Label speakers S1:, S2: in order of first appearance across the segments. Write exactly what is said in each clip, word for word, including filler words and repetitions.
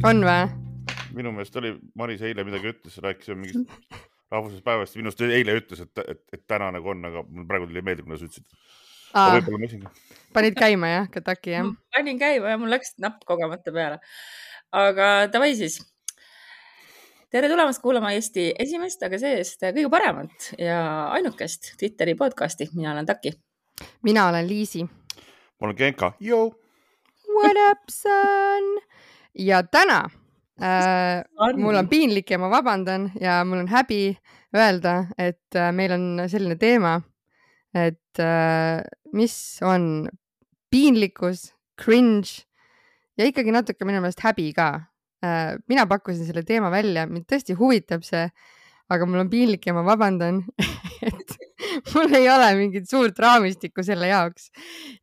S1: On või?
S2: Minu meelest oli Maris eile midagi ütles, rääkis mingist rahvusest päevast. Minust eile ütles, et, et, et täna nagu on, aga mul praegu tuli meelde, kuna sa ütlesid.
S1: Aa,
S2: Võib-olla ma esingi.
S1: panid käima jah, Kataki jah?
S3: Panin käima ja mul läks napp kogemata peale. Aga davai siis. Tere tulemast kuulama Eesti esimest, aga seest kõige paremat ja ainukest Twitteri podcasti. Mina olen Taki.
S1: Mina olen Liisi.
S2: Ma olen Genka. Yo!
S1: What up, son? Ja täna äh, mul on piinlik ja ma vabandan ja mul on häbi öelda, et äh, meil on selline teema, et äh, mis on piinlikkus, cringe ja ikkagi natuke minu meelest häbi ka. Äh, mina pakkusin selle teema välja, mind tõesti huvitab see, aga mul on piinlik ja ma vabandan, et mul ei ole mingit suurt raamistikku selle jaoks.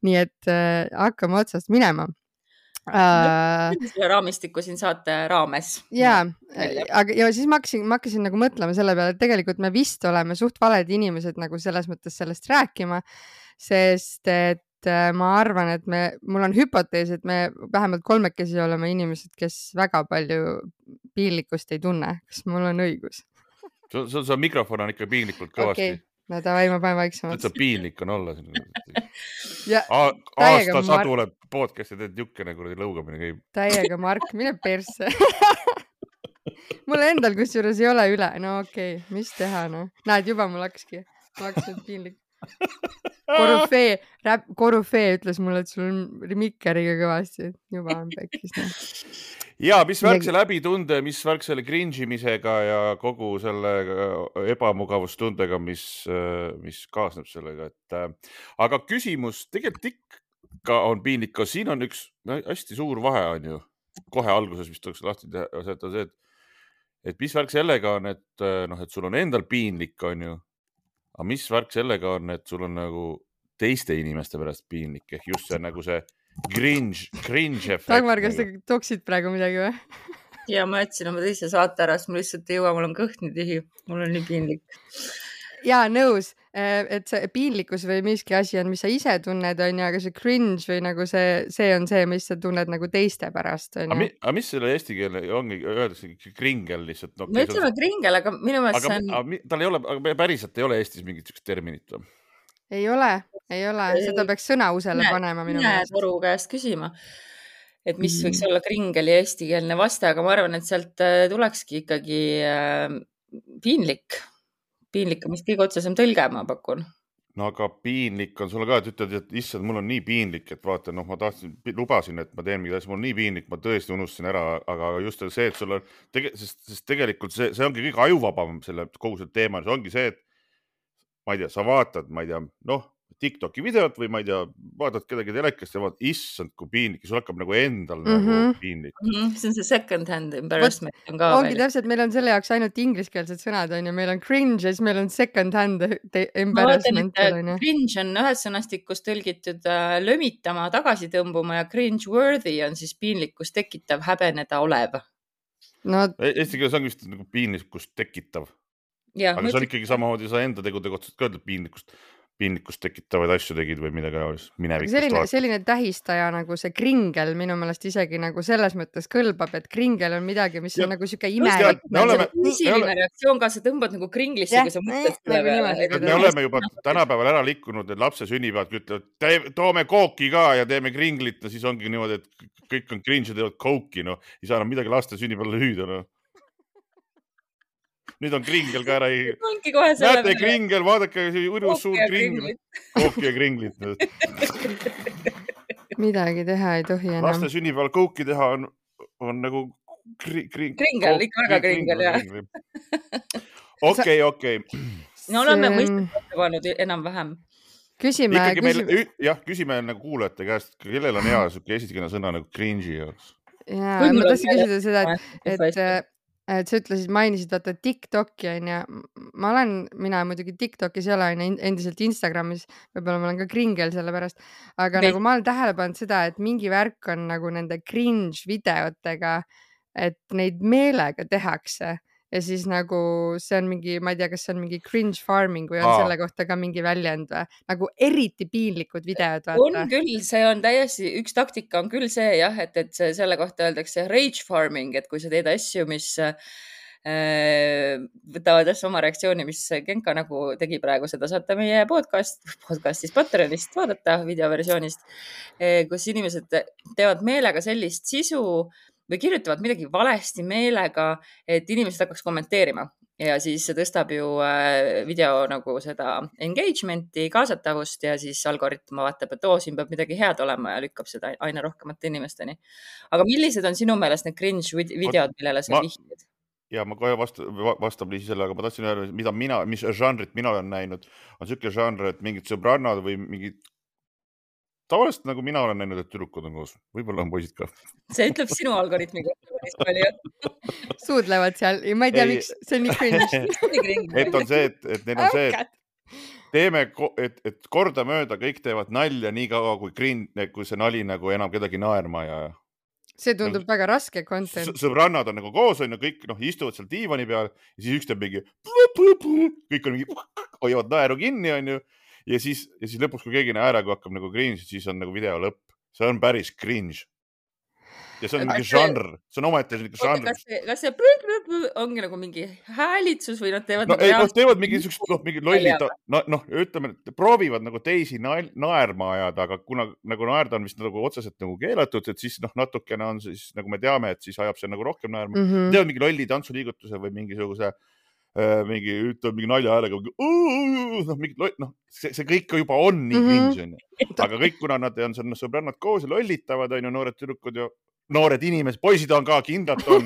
S1: Nii et äh, hakkame otsast minema.
S3: Uh, selle raamistiku siin saate raames.
S1: Jaa, aga ja siis ma hakkasin, ma hakkasin nagu mõtlema selle peale, et tegelikult me vist oleme suht valed inimesed nagu selles mõttes sellest rääkima, sest et ma arvan, et me, mul on hüpotees, et me vähemalt kolmekesi oleme inimesed, kes väga palju piinlikkust ei tunne. Kas mul on õigus?
S2: Sul see mikrofon on ikka piinlikult kõvasti.
S1: Okay. No tavai, ma panen vaiksemaks.
S2: See piinlik on olla.
S1: Ja,
S2: aasta sadu oled podcasti teed jukene, kui lõugamine käib.
S1: Täiega Mark, mine persse. Mul endal kusjuures ei ole üle. No okei, okay. Mis teha? No? Näed, juba mul hakkaski. Ma hakkasin piinlik. Korufee, räp, Korufee ütles mulle, et sul on mikkeriga kõvasti. Juba on pekkis. No.
S2: Ja, mis värk see läbitunde, mis värk selle cringimisega ja kogu selle ebamugavustundega, mis, mis kaasneb sellega. Et, aga küsimus, tegelikult ikka on piinlik, siin on üks hästi suur vahe on ju, kohe alguses, mis tuleks lahti teha, see, et, et mis värk sellega on, et, noh, et sul on endal piinlik on ju, aga mis värk sellega on, et sul on nagu teiste inimeste pärast piinlik, ehk just see nagu see cringe, cringe effekt.
S1: Dagmar, kas te toksid praegu midagi või?
S3: Ja ma jätsin oma teise saate ära, sest mul lihtsalt ei jõua, mul on kõht nii tühi, mul on nii piinlik.
S1: Jaa, nõus, et see piinlikkus või miski asi on, mis sa ise tunned, on ju, aga see cringe või nagu see, see on see, mis sa tunned nagu teiste pärast. On
S2: ju. Aga mis selle eesti keele ongi, öeldakse kringel lihtsalt? No,
S3: me ütleme kringel, aga minu meelest
S2: aga,
S3: on...
S2: Aga, tal ei ole, aga päriselt ei ole Eestis mingit terminit või?
S1: Ei ole, ei ole. Seda peaks sõnausele panema minu
S3: meelest. Mine Toru käest küsima, et mis võiks olla kringeli eestikeelne vaste, aga ma arvan, et sealt tulekski ikkagi piinlik. Piinlik on, mis kõige otsesem tõlge ma pakun.
S2: No aga piinlik on sulle ka, et ütled, et issand, mul on nii piinlik, et vaata, noh, ma tahtsin, lubasin, et ma teen mingit asja, mul on nii piinlik, ma tõesti unustasin ära, aga just see, et sul on, tege, sest, sest tegelikult see, see ongi kõige ajuvabam selle kogu selle teema, see ongi see, et ma ei tea, sa vaatad, ma ei tea, noh, TikToki videot või ma ei tea, vaatad kedagi telekast ja vaatad, issand, kui piinlik, sul hakkab nagu endal mm -hmm. nagu piinlik.
S3: Mm -hmm. See on see second hand embarrassment. On ka
S1: ongi täpselt, meil on selle jaoks ainult ingliskeelsed sõnad, on ju, meil on cringe ja siis meil on second hand embarrassment.
S3: Ma vaatan, cringe on ühes sõnastikus tõlgitud äh, lömitama, tagasi tõmbuma ja cringe worthy on siis piinlikkust tekitav, häbeneda olev.
S1: No,
S2: Eesti keeles on vist nagu piinlikkust tekitav. Ja, aga see on ikkagi samamoodi sa enda tegudega otsast ka ütled piinlikkust, piinlikkust tekitavaid asju tegid või midagi minevikust.
S1: Selline, selline tähistaja nagu see kringel minu meelest isegi nagu selles mõttes kõlbab, et kringel on midagi, mis ja, on nagu siuke imelik.
S2: Me oleme,
S3: füüsiline reaktsioon ka, sa tõmbad nagu kringlisse, kui sa mõtled selle peale.
S2: Me oleme juba tänapäeval ära liikunud, et lapse sünnipäevad ütlevad, toome kooki ka ja teeme kringlit ja siis ongi niimoodi, et kõik on cringe ja teevad kooki, no ei saa enam midagi laste sünnipäeval hüüda, no. Nüüd on kringel ka ära ei... Näete kringel, vaadake urjus suur kringel. Kooki ja kringlit.
S1: Midagi teha ei tohi enam.
S2: Laste sünnipäeval kooki teha on, on nagu kri, kri,
S3: kringel, ikka väga kringel, jah.
S2: Okei, okei.
S3: No oleme mõistet pannud enam vähem.
S1: Küsime,
S2: ikkagi meil, küsime... jah, küsime nagu kuulajate käest, kellel on hea siuke esikene sõna nagu cringe'i jaoks.
S1: Jaa, ma tahtsin küsida seda, et, et et sa ütlesid, mainisid vaata TikToki on ja ma olen, mina muidugi TikTokis ei ole endiselt Instagramis, võib-olla ma olen ka kringel selle pärast, aga Meil... nagu ma olen tähele pannud seda, et mingi värk on nagu nende cringe videotega, et neid meelega tehakse, ja siis nagu see on mingi, ma ei tea, kas see on mingi cringe farming või on
S2: Aa.
S1: selle kohta ka mingi väljend või? Nagu eriti piinlikud videod,
S3: on
S1: vaata.
S3: küll, see on täiesti, üks taktika on küll see jah, et, et see, selle kohta öeldakse rage farming, et kui sa teed asju, mis äh, võtavad asja oma reaktsiooni, mis Genka nagu tegi praegu, seda saate meie podcast, podcastis Patreonist vaadata videoversioonist, kus inimesed teevad meelega sellist sisu või kirjutavad midagi valesti meelega, et inimesed hakkaks kommenteerima ja siis see tõstab ju video nagu seda engagement'i, kaasatavust ja siis algoritm vaatab, et oo, siin peab midagi head olema ja lükkab seda aina rohkemate inimesteni. Aga millised on sinu meelest need cringe videod, millele sa
S2: Ma-
S3: vihjad?
S2: ja ma kohe vasta, vastab Liisi selle, aga ma tahtsin öelda, mida mina, mis žanrit mina olen näinud, on siuke žanr, et mingid sõbrannad või mingid tavaliselt nagu mina olen näinud, et tüdrukud on koos, võib-olla on poisid ka.
S3: See ütleb sinu algoritmi kohta päris palju.
S1: Suudlevad seal ja ma ei tea,
S2: Ei.
S1: miks see on nii cringe.
S2: et on see, et, et neil on see, et teeme, ko- et, et kordamööda kõik teevad nalja nii kaua, kui, grin, kui see nali nagu enam kedagi naerma ja
S1: See tundub väga raske content.
S2: s- sõbrannad on nagu koos, on ju, kõik noh, istuvad seal diivani peal ja siis üks teeb mingi, kõik on mingi, hoiavad naeru kinni, on ju. Ja siis, ja siis lõpuks, kui keegi naeraga hakkab nagu cringe, siis on nagu video lõpp. See on päris cringe. Ja see on
S3: Aga
S2: mingi
S3: see-
S2: žanr, see on omaette mingi
S3: Oota,
S2: žanr.
S3: kas see, kas see prü, prü, prü, ongi nagu mingi häälitsus või nad teevad
S2: No
S3: nagu
S2: ei, noh,
S3: reaalselt-
S2: teevad mingi niisugust, noh, mingi lollid,
S3: Naljaga.
S2: no, noh, ütleme, et proovivad nagu teisi nael, naerma ajada, aga kuna nagu naerda on vist nagu otseselt nagu keelatud, et siis noh, natukene on siis, nagu me teame, et siis ajab see nagu rohkem naerma.
S1: Mm -hmm.
S2: Teevad mingi lolli tantsuliigutuse või mingisuguse äh, mingi, ütleb mingi nalja häälega, noh, mingi, noh, see, see kõik juba on nii
S1: Mhm.
S2: cringe, on ju. Aga kõik, kuna nad on seal sõbrannad koos ja lollitavad, on ju, noored tüdrukud ja noored inimesed, poisid on ka, kindlalt on.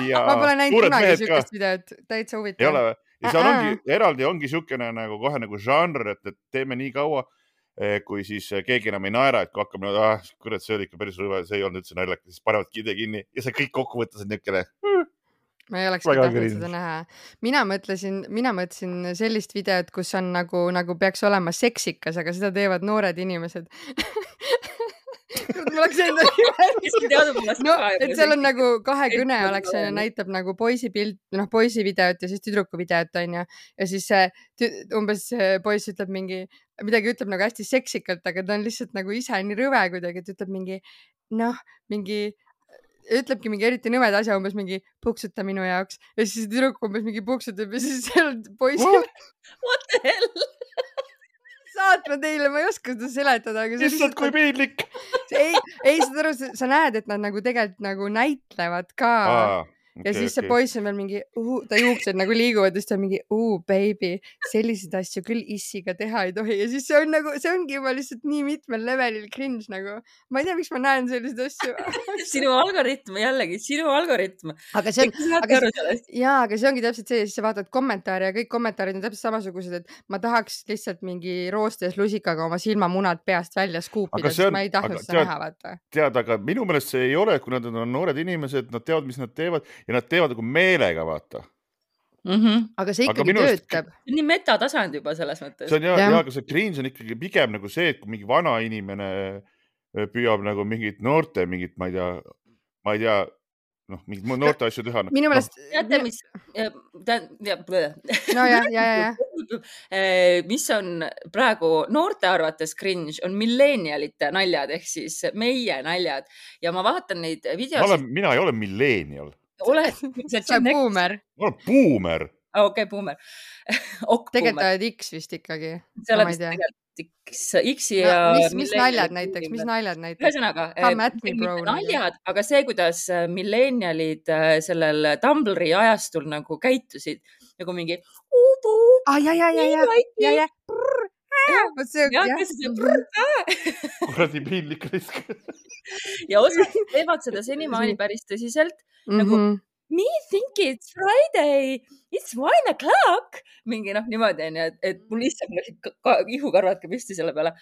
S2: Ja
S1: Ma pole näinud
S2: suured
S1: kunagi
S2: mehed ka.
S1: siukest videot, täitsa
S2: Ei
S1: huvitav.
S2: ole või? Ja seal
S1: Ä-ä.
S2: ongi, eraldi ongi siukene nagu kohe nagu žanr, et, et teeme nii kaua, kui siis keegi enam ei naera, et kui hakkab, ah, kurat, see oli ikka päris rõve, see ei olnud üldse naljakas, siis panevad kide kinni ja see kõik kokkuvõttes on niukene.
S1: Ma ei oleks
S2: Väga
S1: tahtnud
S2: cringe.
S1: seda näha. Mina mõtlesin, mina mõtlesin sellist videot, kus on nagu, nagu peaks olema seksikas, aga seda teevad noored inimesed. Mul oleks enda no, et seal on nagu kahe kõne oleks ja näitab nagu poisi pilt, noh, poisi videot ja siis tüdruku videot on ju. Ja siis see umbes see poiss ütleb mingi, midagi ütleb nagu hästi seksikalt, aga ta on lihtsalt nagu ise nii rõve kuidagi, et ütleb mingi, noh, mingi, ütlebki mingi eriti nõmed asja, umbes mingi puksuta minu jaoks. Ja siis tüdruk umbes mingi puksutab ja siis seal poiss.
S3: What the hell?
S1: Saatma teile, ma ei oska seda seletada, aga
S2: Lihtsalt kui piinlik.
S1: ei, ei, saad aru, sa näed, et nad nagu tegelikult nagu näitlevad ka.
S2: Aa,
S1: ja siis see poiss on veel mingi, ta juuksed nagu liiguvad ja siis ta on mingi, uu, baby, selliseid asju küll issiga teha ei tohi. Ja siis see on nagu, see ongi juba lihtsalt nii mitmel levelil cringe nagu. Ma ei tea, miks ma näen selliseid asju.
S3: Sinu algoritm, jällegi, sinu algoritm.
S1: Aga see on, aga, jaa, aga see ongi täpselt see, siis sa vaatad kommentaare ja kõik kommentaarid on täpselt samasugused, et ma tahaks lihtsalt mingi roostes lusikaga oma silmamunad peast välja skuupida, sest ma ei tahtnud seda näha, vaata.
S2: Tead, aga minu meelest see ei ole, kui nad on noored inimesed, nad teavad, mis nad teevad ja nad teevad nagu meelega, vaata.
S3: Mm -hmm.
S1: Aga see ikkagi aga töötab.
S3: See on nii metatasand juba selles mõttes.
S2: See on jah, ja, aga see cringe on ikkagi pigem nagu see, et kui mingi vana inimene püüab nagu mingit noorte, mingit, ma ei tea, ma ei tea, noh, mingit noorte asju teha.
S1: Minu meelest...
S3: No, teate, mis...
S1: No ja, ja, ja, ja.
S3: Mis on praegu noorte arvates cringe, on milleenialite naljad, ehk siis meie naljad. Ja ma vaatan neid videosid...
S2: Mina ei ole milleenial.
S3: Oled,
S1: sa oled buumer.
S2: Ma olen buumer.
S3: Okei, okay, buumer.
S1: Tegelikult oled X vist ikkagi.
S3: See oled vist tegelikult X, X ja...
S1: No, mis, mis naljad näiteks, mis naljad näiteks?
S3: Ühesõnaga,
S1: me, bro,
S3: naljad, aga see, kuidas milleenialid sellel Tumblri ajastul nagu käitusid, nagu mingi uubu,
S1: ah, ja, ja, ja, ja, ja, ja,
S2: kuradi piinlik risk.
S3: Ja osad teevad seda senimaani päris tõsiselt,
S1: mm -hmm.
S3: nagu me think it's Friday, it's one o'clock, mingi noh, niimoodi on ju, et, et mul lihtsalt läksid ihukarvad ka püsti selle peale.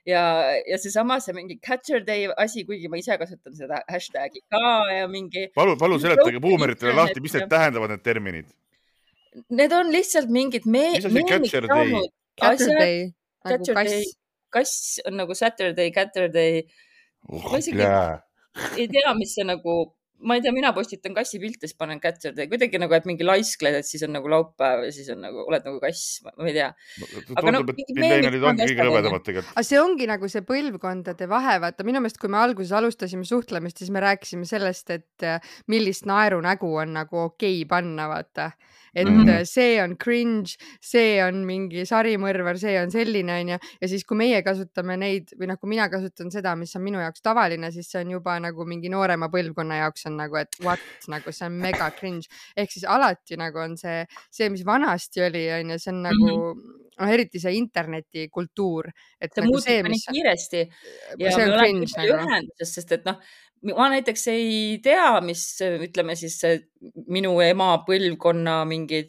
S3: Ja, ja see sama, see mingi Catcher Day asi, kuigi ma ise kasutan seda hashtagi ka ja mingi...
S2: Palu, palu seletage buumeritele lahti, mis need tähendavad need terminid?
S3: Need on lihtsalt mingid me...
S2: Mis asi Catcher Day?
S1: Catcher Day, nagu kass.
S3: Kass on nagu Saturday, Catcher Day.
S2: Oh,
S3: ma isegi ei tea, mis see nagu... ma ei tea, mina postitan kassi pilte, siis panen kätte kuidagi nagu, et mingi laiskled, et siis on nagu laupäev ja siis on nagu, oled nagu kass, ma ei tea.
S2: Aga tundub, no, et millennialid ongi kõige lõvedamad tegelikult.
S1: Aga see ongi nagu see põlvkondade vahe, vaata minu meelest, kui me alguses alustasime suhtlemist, siis me rääkisime sellest, et millist naerunägu on nagu okei panna, vaata. Et mm-hmm. see on cringe, see on mingi sarimõrvar, see on selline, on ju. Ja siis, kui meie kasutame neid, või noh, kui mina kasutan seda, mis on minu jaoks tavaline, siis see on juba nagu mingi noorema põlvkonna jaoks on nagu, et what, nagu see on mega cringe. Ehk siis alati nagu on see, see, mis vanasti oli, on ju, see on nagu, mm-hmm. noh, eriti see internetikultuur. Et
S3: see
S1: nagu
S3: muutub see, mis nii kiiresti. Ja
S1: see on cringe nagu.
S3: Ühenduses, sest et noh, ma näiteks ei tea, mis ütleme siis minu ema põlvkonna mingid,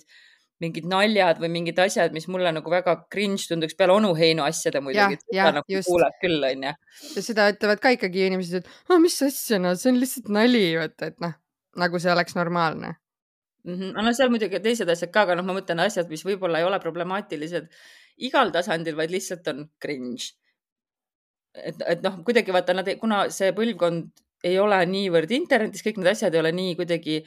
S3: mingid naljad või mingid asjad, mis mulle nagu väga cringe tunduks peale onuheinu asjade muidugi.
S1: Ja, ja,
S3: nagu
S1: just.
S3: Kuuleb küll, on ja.
S1: Ja seda ütlevad ka ikkagi inimesed, et oh, mis asja, no see on lihtsalt nali, võtta, et noh, nagu see oleks normaalne.
S3: Mm-hmm. No seal muidugi teised asjad ka, aga noh, ma mõtlen asjad, mis võib-olla ei ole problemaatilised igal tasandil, vaid lihtsalt on cringe. Et, et noh, kuidagi vaata, nad, kuna see põlvkond ei ole niivõrd internetis, kõik need asjad ei ole nii kuidagi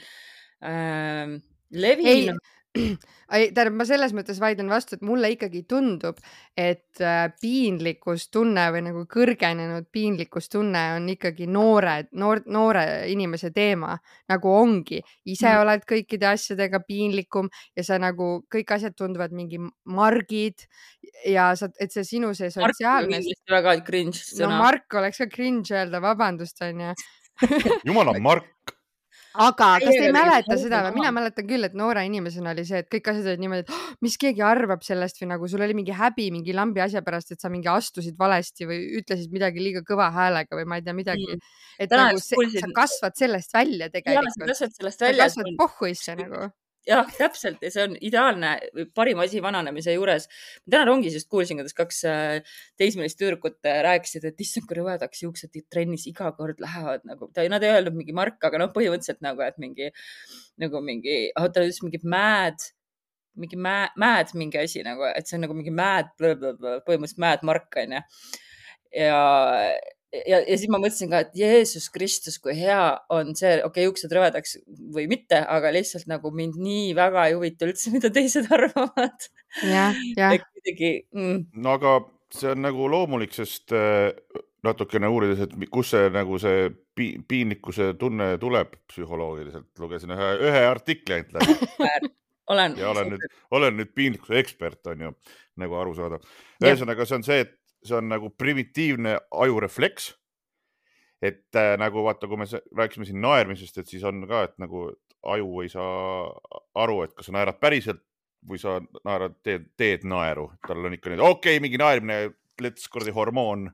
S3: äh, levinud.
S1: Ei, tähendab, ma selles mõttes vaidlen vastu, et mulle ikkagi tundub, et piinlikkustunne või nagu kõrgenenud piinlikkustunne on ikkagi noore, noor, noore inimese teema, nagu ongi. Ise mm. oled kõikide asjadega piinlikum ja sa nagu kõik asjad tunduvad mingi margid ja sa, et see sinu see sotsiaalne...
S3: Mark on väga cringe sõna.
S1: No Mark oleks ka cringe öelda, vabandust, on ja.
S2: Jumala Mark.
S1: Aga kas te ei mäleta seda või? Mina mäletan küll, et noore inimesena oli see, et kõik asjad olid niimoodi, et oh, mis keegi arvab sellest või nagu sul oli mingi häbi mingi lambi asja pärast, et sa mingi astusid valesti või ütlesid midagi liiga kõva häälega või ma ei tea midagi. Et Täna nagu see, kuulsin... sa kasvad sellest välja tegelikult.
S3: Ja, sa kasvad sellest välja.
S1: Sa kasvad pohhuisse nagu.
S3: Jah, täpselt ja see on ideaalne parim asi vananemise juures. Täna rongis just kuulsin, kuidas kaks teismelist tüdrukut rääkisid, et issand, kui rõvedaks juuksed trennis iga kord lähevad nagu, nad ei öelnud mingi Mark, aga noh, põhimõtteliselt nagu, et mingi, nagu mingi, ta ütles mingi mad, mingi mad mingi asi nagu, et see on nagu mingi mad, põhimõtteliselt mad Mark on ja. Ja Ja, ja siis ma mõtlesin ka, et Jeesus Kristus, kui hea on see, okei, okay, juuksed rõvedaks või mitte, aga lihtsalt nagu mind nii väga ei huvita üldse, mida teised arvavad.
S1: Ja, ja.
S3: Mm.
S2: No aga see on nagu loomulik, sest natukene uurides, et kus see nagu see piinlikkuse tunne tuleb psühholoogiliselt. Lugesin ühe, ühe artikli ainult läbi.
S3: olen.
S2: Ja olen nüüd, olen nüüd piinlikkuse ekspert, on ju, nagu aru saada. Ühesõnaga, see on see, et see on nagu primitiivne ajurefleks, et äh, nagu vaata, kui me rääkisime siin naermisest, et siis on ka, et nagu aju ei saa aru, et kas sa naerad päriselt või sa naerad, teed, teed naeru. Tal on ikka nüüd, okei, okay, mingi naerimine, let's kordi hormoon,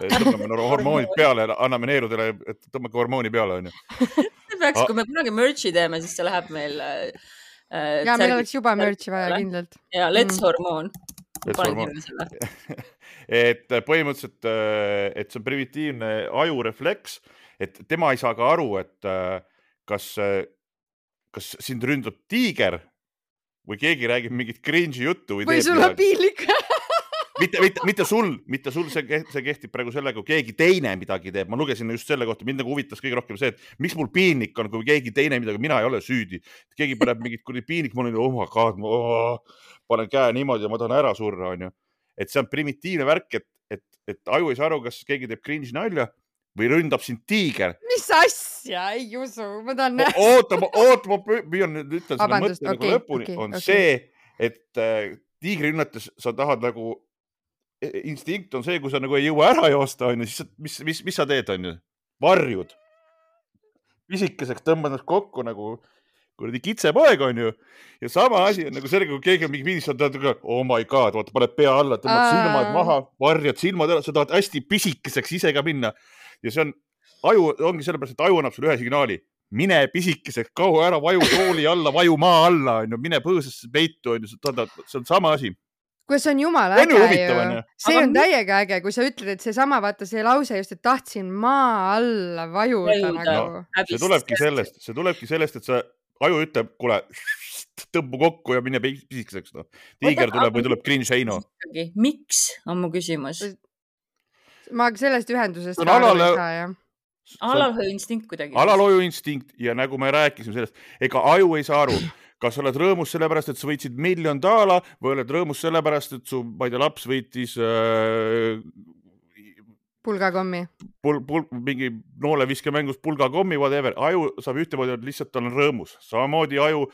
S2: tõmbame hormoonid peale, anname neerudele, et tõmbake hormooni peale, on ju.
S3: Peaks, kui me kunagi merchi teeme, siis see läheb meil...
S1: Äh, ja, meil oleks juba merchi vaja kindlalt.
S3: Ja, let's mm. hormoon.
S2: et põhimõtteliselt, et see on primitiivne ajurefleks, et tema ei saa ka aru, et kas, kas sind ründab tiiger või keegi räägib mingit cringe'i juttu või,
S1: või sul on piinlik.
S2: mitte, mitte, mitte sul, mitte sul, see, see kehtib praegu sellega, kui keegi teine midagi teeb. Ma lugesin just selle kohta, mind nagu huvitas kõige rohkem see, et miks mul piinlik on, kui keegi teine midagi, mina ei ole süüdi. Keegi paneb mingit kuni piinlik, mul on, oh my god, ma oh, panen käe niimoodi ja ma tahan ära surra, on ju. Et see on primitiivne värk, et, et, et aju ei saa aru, kas keegi teeb cringe nalja või ründab sind tiiger.
S1: Mis asja? Ei usu, ma tahan näha.
S2: Oota, oota, ma püüan nüüd ütlen selle mõtte
S1: okay,
S2: nagu lõpuni.
S1: Okay,
S2: on
S1: okay.
S2: see, et äh, tiigri rünnates sa tahad nagu instinkt on see, kui sa nagu ei jõua ära joosta, on ju, siis mis, mis, mis sa teed, on ju? Varjud. Pisikeseks tõmbad kokku nagu kuradi kitsepoeg, on ju. Ja sama asi on nagu sellega, kui keegi on mingi piinis, sa tahad, oh my god, vaata, paned pea alla, tõmbad silmad maha, varjad silmad ära, sa tahad hästi pisikeseks ise ka minna. Ja see on, aju ongi sellepärast, et aju annab sulle ühe signaali. Mine pisikeseks, kaua ära, vaju tooli alla, vaju maa alla, on ju, mine põõsasse peitu, on ju, see on sama asi.
S1: Kui see on jumala äge ju. See on täiega äge, kui sa ütled, et see sama, vaata see lause just, et tahtsin maa alla vajuda nagu.
S2: No, see tulebki sellest, see tulebki sellest, et sa aju ütleb, kuule, tõmbu kokku ja mine pisikeseks. No. Tiiger tuleb või tuleb cringe heino.
S3: Miks on mu küsimus?
S1: Ma sellest ühendusest ka aru ei saa, jah.
S3: Alalhoiu instinkt kuidagi.
S2: Alalhoiu instinkt ja nagu me rääkisime sellest, ega aju ei saa aru, kas oled rõõmus sellepärast, et sa võitsid miljon daala või oled rõõmus sellepärast, et su, ma ei tea, laps võitis äh,
S1: pulgakommi.
S2: Pul, pul, mingi nooleviskemängus pulgakommi, whatever. Aju saab ühtemoodi, lihtsalt on rõõmus. Samamoodi aju,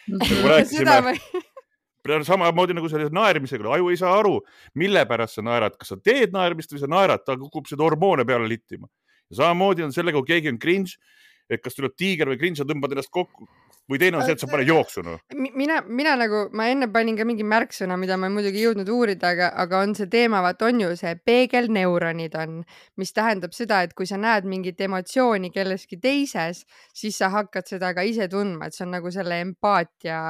S2: nagu rääkisime, samamoodi nagu selle naermisega. Aju ei saa aru, mille pärast sa naerad. Kas sa teed naermist või sa naerad, ta kukub seda hormoone peale littima. Ja samamoodi on sellega, kui keegi on cringe, et kas tuleb tiiger või cringe, sa tõmbad ennast kokku. Või teine on see, et sa pane jooksu. No.
S1: Mina, mina nagu, ma enne panin ka mingi märksõna, mida ma muidugi jõudnud uurida, aga, aga on see teema, vaat on ju see peegelneuronid on, mis tähendab seda, et kui sa näed mingit emotsiooni kelleski teises, siis sa hakkad seda ka ise tundma, et see on nagu selle empaatia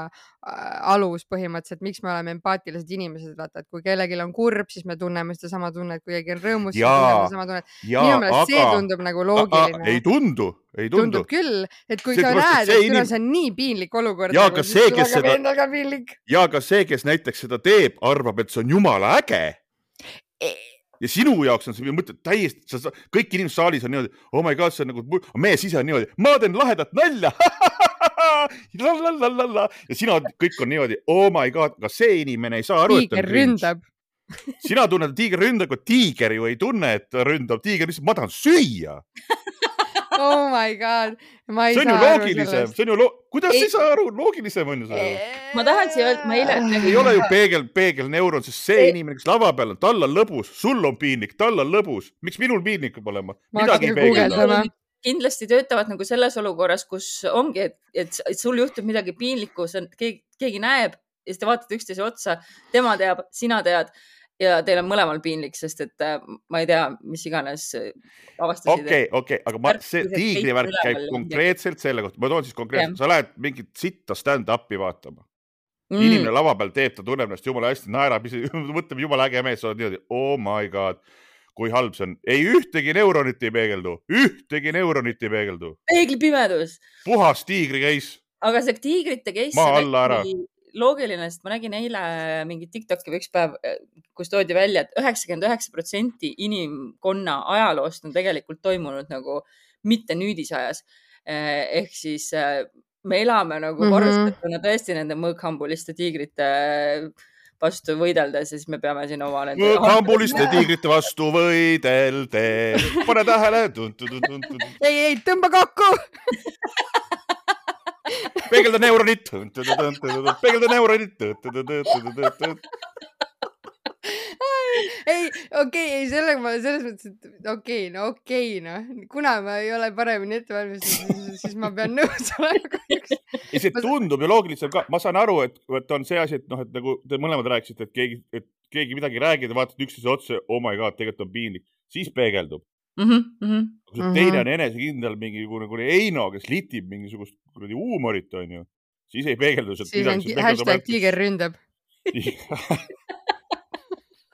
S1: alus põhimõtteliselt, miks me oleme empaatilised inimesed, vaata, et kui kellelgi on kurb, siis me tunneme seda sama tunnet, kui keegi on rõõmus, siis me tunneme sama tunnet. Minu meelest see tundub nagu loogiline.
S2: Ei tundu, ei tundu.
S1: Tundub küll, et kui see sa näed, et kuna see on nii piinlik olukord,
S2: ja ka see, kes seda,
S1: piinlik.
S2: ja ka see, kes näiteks seda teeb, arvab, et see on jumala äge. Ja sinu jaoks on see mõte täiesti, sa, kõik inimesed saalis on niimoodi, oh my god, see on nagu, meie sise on niimoodi, ma teen lahedat nalja. Lalalala. Ja sina kõik on niimoodi, oh my god, aga see inimene ei saa aru,
S1: et on ründab.
S2: Sina tunned, et tiiger ründab, kui tiiger ju ei tunne, et ründab. Tiiger lihtsalt, ma tahan süüa.
S1: Oh my god. Ma ei
S2: see on ju
S1: saa
S2: loogilisem. See on ju lo... Kuidas ei saa aru? Loogilisem on ju see.
S3: Ma tahan siia öelda, ma eile...
S2: Ei ole ju peegel, peegel neuron, sest see inimene, kes lava peal on, tal on lõbus, sul on piinlik, tal on lõbus. Miks minul piinlik peab olema? Midagi ei peegelda.
S3: Kindlasti töötavad nagu selles olukorras, kus ongi, et, et, et sul juhtub midagi piinlikku, keegi, keegi näeb ja siis te vaatate üksteise otsa, tema teab, sina tead ja teil on mõlemal piinlik, sest et ma ei tea, mis iganes avastasid.
S2: Okei, okei, aga ma, see tiigrivärk käib konkreetselt selle kohta. Ma toon siis konkreetselt, sa lähed mingit sitta stand-upi vaatama. Mm. Inimene lava peal teeb, ta tunneb ennast jumala hästi, naerab, mõtleb jumala äge mees, sa oled niimoodi, oh my god. Kui halb see on. Ei ühtegi neuronit ei peegeldu. Ühtegi neuronit ei peegeldu.
S3: Peegli pimedus.
S2: Puhas tiigri käis.
S3: Aga see tiigrite käis loogiline, sest ma nägin eile mingi TikToki või üks päev, kus toodi välja, et üheksakümmend üheksa protsenti inimkonna ajaloost on tegelikult toimunud nagu mitte nüüdisajas. Ehk siis me elame nagu mm-hmm. varustetuna tõesti nende mõõkhambuliste tiigrite vastu võideldes, siis me peame siin oma...
S2: Mõõkhambuliste tiigrite vastu võideldes. Pane tähele.
S1: Ei, ei, tõmba kokku.
S2: Peegelda neuronit. Peegelda neuronit.
S1: Ei, okei, ei, selle ma selles mõttes, et okei, no okei, no. Kuna ma ei ole paremini ette valmistatud, siis ma pean nõus olema.
S2: Ei, see tundub ju loogiliselt ka. Ma saan aru, et, et on see asi, et, noh, et nagu te mõlemad rääkisite, et keegi, et keegi midagi räägib ja vaatad üksteise otsa, oh my god, tegelikult on piinlik. Siis peegeldub.
S3: Mm-hmm.
S2: Kui see teine on enesekindel mingi kuni Eino, kes litib mingisugust kuradi huumorit, on ju, siis ei peegeldu.
S1: Siis on hashtag tiiger ründab.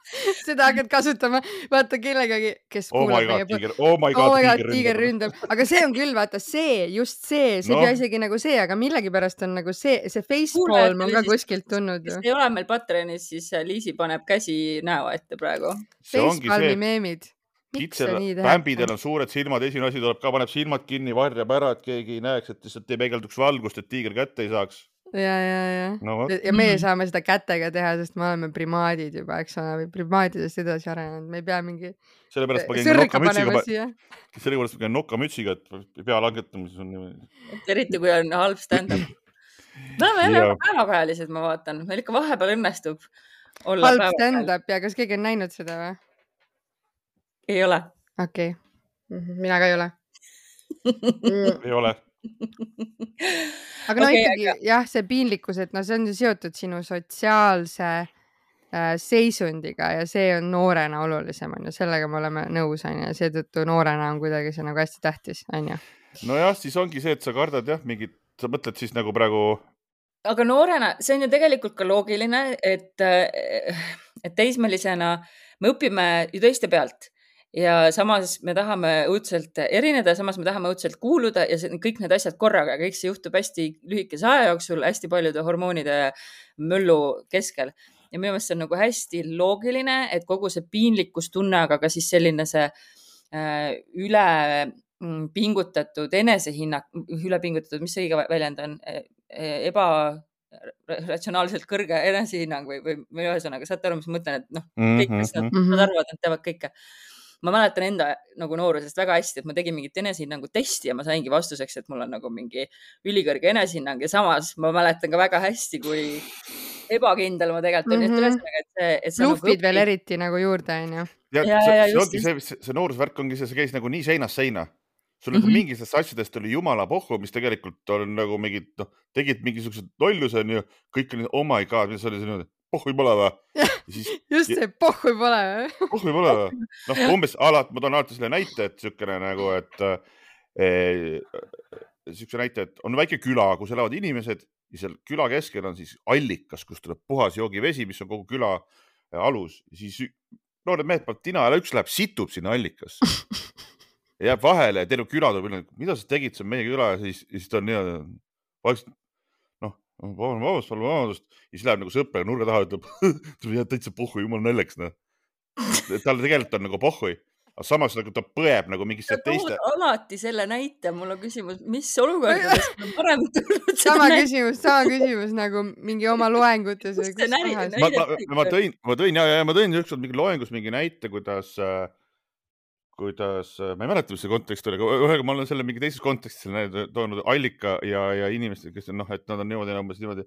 S1: Seda hakkad kasutama, vaata kellegagi, kes kuulab
S2: meie põh. Oh my god,
S1: oh my god tiiger ründab. Aga see on küll, vaata see, just see, see no. Ei isegi nagu see, aga millegipärast on nagu see, see facepalm on ka kuskilt tulnud.
S3: Kes ei ole meil Patreonis, siis Liisi paneb käsi näo ette praegu.
S1: Facepalmi meemid.
S2: Kitsel, pämbidel on suured silmad, esimene asi tuleb ka, paneb silmad kinni, varjab ära, et keegi ei näeks, et lihtsalt ei peegelduks valgust, et tiiger kätte ei saaks.
S1: Ja, ja, ja. No, ja meie saame seda kätega teha, sest me oleme primaadid juba, eks ole, või primaadidest edasi arenenud. Me ei pea mingi
S2: sõrka panema siia. Sellepärast ma käin nokkamütsiga, et pea langetamise on niimoodi.
S3: Eriti kui on halb stand-up. Me oleme jälle päevakajalised, ma vaatan. Meil ikka vahepeal õnnestub olla
S1: halb stand-up ja kas keegi on näinud seda või?
S3: Ei ole.
S1: Okei. Okay. Mina ka ei ole.
S2: Ei ole.
S1: Aga no okay, ikkagi, aga... jah, see piinlikkus, et no see on seotud sinu sotsiaalse äh, seisundiga ja see on noorena olulisem, on ju. Sellega me oleme nõus, on ju. Seetõttu noorena on kuidagi see nagu hästi tähtis, on ju.
S2: Nojah, siis ongi see, et sa kardad jah, mingid, sa mõtled siis nagu praegu...
S3: Aga noorena, see on ju tegelikult ka loogiline, et, et teismelisena me õpime ju teiste pealt. Ja samas me tahame õudselt erineda, samas me tahame õudselt kuuluda ja see, kõik need asjad korraga, kõik see juhtub hästi lühikese aja jooksul, hästi paljude hormoonide möllu keskel. Ja minu meelest see on nagu hästi loogiline, et kogu see piinlikkustunne, aga ka siis selline see äh, üle pingutatud enesehinnak, ülepingutatud, mis see õige väljend on, ebaratsionaalselt kõrge enesehinnang või, või, või ühesõnaga, saate aru, mis ma mõtlen, et noh, kõik, kes nad, nad arvavad, nad teavad kõike. Ma mäletan enda nagu noorusest väga hästi, et ma tegin mingit enesehinnangu testi ja ma saingi vastuseks, et mul on nagu mingi ülikõrge enesehinnang ja samas ma mäletan ka väga hästi, kui ebakindel ma tegelikult on.
S1: Mhm.
S3: Ühesõnaga, et see, et see
S1: Bluffid
S3: nagu
S1: veel eriti nagu juurde, on ju.
S2: Ja,
S3: Ja,
S2: see,
S3: ja,
S2: see,
S3: just,
S2: ongi see, see, see noorusvärk ongi see, see käis nagu nii seinast seina. Sul nagu
S3: Mhm.
S2: mingitest asjadest oli jumala pohhu, mis tegelikult on nagu mingid, noh, tegid mingisugused lolluse, on ju, kõik oli, oh my god, mis oli see niimoodi, pohhu ei pole või? Ja siis,
S1: Just see pohhu ei pole.
S2: pohhu ei pole või? Noh, umbes alati, ma toon alati selle näite, et siukene nagu, et eh, siukse näite, et on väike küla, kus elavad inimesed ja seal küla keskel on siis allikas, kus tuleb puhas joogivesi, mis on kogu küla alus. Ja siis noored mehed peavad tina ja üks läheb, situb sinna allikasse. Ja jääb vahele ja terve küla tuleb, mida sa tegid, see on meie küla ja siis, ja siis ta on niimoodi, vaikselt, noh, vabandust, vabandust, ja siis läheb nagu sõpra nurga taha, ütleb, tuleb jääd täitsa pohhu, jumal nälleks, noh. Talle tegelikult on nagu pohhui, aga samas nagu ta põeb nagu mingisse
S3: sa tood
S2: teiste.
S3: alati selle näite, mul on küsimus, mis olukordades on parem tulnud
S1: Sama küsimus, sama küsimus nagu mingi oma loengutes või
S3: Kus
S1: kus
S3: see näide-
S1: kohas.
S2: Ma, ma, ma tõin, ma tõin ja, ja ma tõin ükskord mingi loengus mingi näite, kuidas, kuidas, ma ei mäleta, mis see kontekst oli, aga ühega ma olen selle mingi teises kontekstis selle toonud allika ja, ja inimesed, kes on, noh, et nad on niimoodi, umbes niimoodi.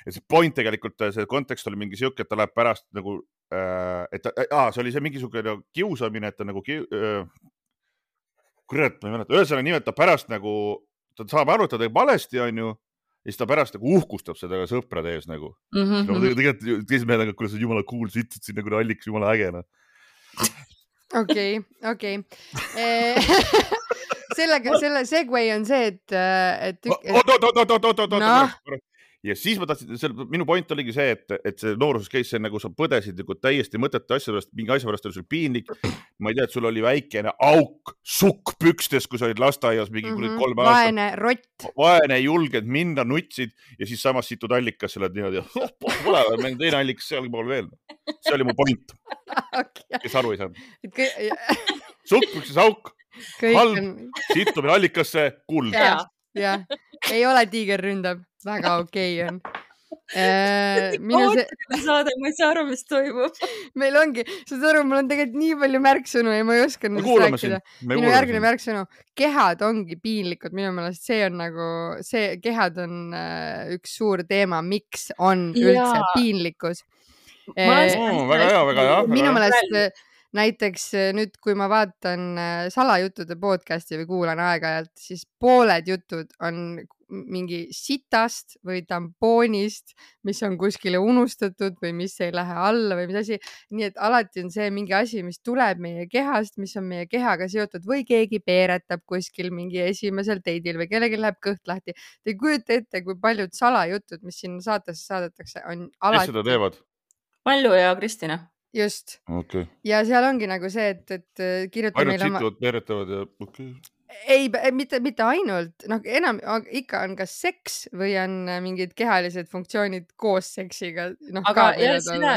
S2: Et see point tegelikult, see kontekst oli mingi siuke, et ta läheb pärast nagu, et aa, see oli see mingisugune kiusamine, et ta nagu, äh, kurat, ma ei mäleta, ühesõnaga nii, et ta pärast nagu, ta saab aru, et ta teeb valesti, on ju, ja siis ta pärast nagu uhkustab seda ka sõprade ees nagu.
S3: Mm -hmm.
S2: No, tegelikult teised mehed, aga kuidas on jumala cool, sa ütled siin nagu alliks, jumala äge, noh.
S1: okei, okei. Sellega, selle segway on see, et, et,
S2: Oot, oot, oot, oot, oot, oot,
S1: Noh.
S2: oot. Ja siis ma tahtsin, minu point oligi see, et, et see nooruses käis see nagu sa põdesid nagu täiesti mõtete asja pärast, mingi asja pärast oli sul piinlik. Ma ei tea, et sul oli väikene auk sukk pükstes, kui sa olid lasteaias mingi mm -hmm. kolme aastat.
S1: vaene rott.
S2: Vaene, julged minna, nutsid ja siis samas situd allikas, oled niimoodi, oh, pole, meil teine allikas seal pool veel. See oli mu point,
S1: Okay.
S2: kes aru ei saanud.
S1: Kõik,
S2: Sukk pükses auk,
S1: kõik
S2: halb,
S1: on,
S2: situmine allikasse, kuld.
S1: jah, jah, ei ole tiiger ründab, väga okei on. Minu see,
S3: saade, ma ei saa aru, mis toimub.
S1: meil ongi, saad aru, mul on tegelikult nii palju märksõnu ja ma ei oska
S2: Me
S1: nendest
S2: kuulame sind.
S1: rääkida.
S2: Me
S1: Minu
S2: kuulame
S1: järgmine
S2: sind.
S1: märksõnu, kehad ongi piinlikud, minu meelest see on nagu, see kehad on äh, üks suur teema, miks on üldse
S3: Jaa.
S1: piinlikkus.
S3: Ma olen
S1: Eh,
S3: seda-
S2: Oo, väga hea, väga hea.
S1: minu
S2: väga hea.
S1: meelest äh, näiteks äh, nüüd, kui ma vaatan äh, salajuttude podcasti või kuulan aeg-ajalt, siis pooled jutud on mingi sitast või tampoonist, mis on kuskile unustatud või mis ei lähe alla või mis asi. Nii et alati on see mingi asi, mis tuleb meie kehast, mis on meie kehaga seotud või keegi peeretab kuskil mingi esimesel teidil või kellelgi läheb kõht lahti. Te ei kujuta ette, kui paljud salajutud, mis sinna saatesse saadetakse, on
S2: Kes
S1: alati
S2: seda teevad?
S3: Malju ja Kristina.
S1: just.
S2: Okei.
S1: Ja seal ongi nagu see, et, et kirjuta
S2: Ainult
S1: meile oma...
S2: situvad, peeretavad ja okei.
S1: Ei, mitte, mitte ainult, noh, enam ikka on kas seks või on mingid kehalised funktsioonid koos seksiga. No,
S3: aga jah, seda,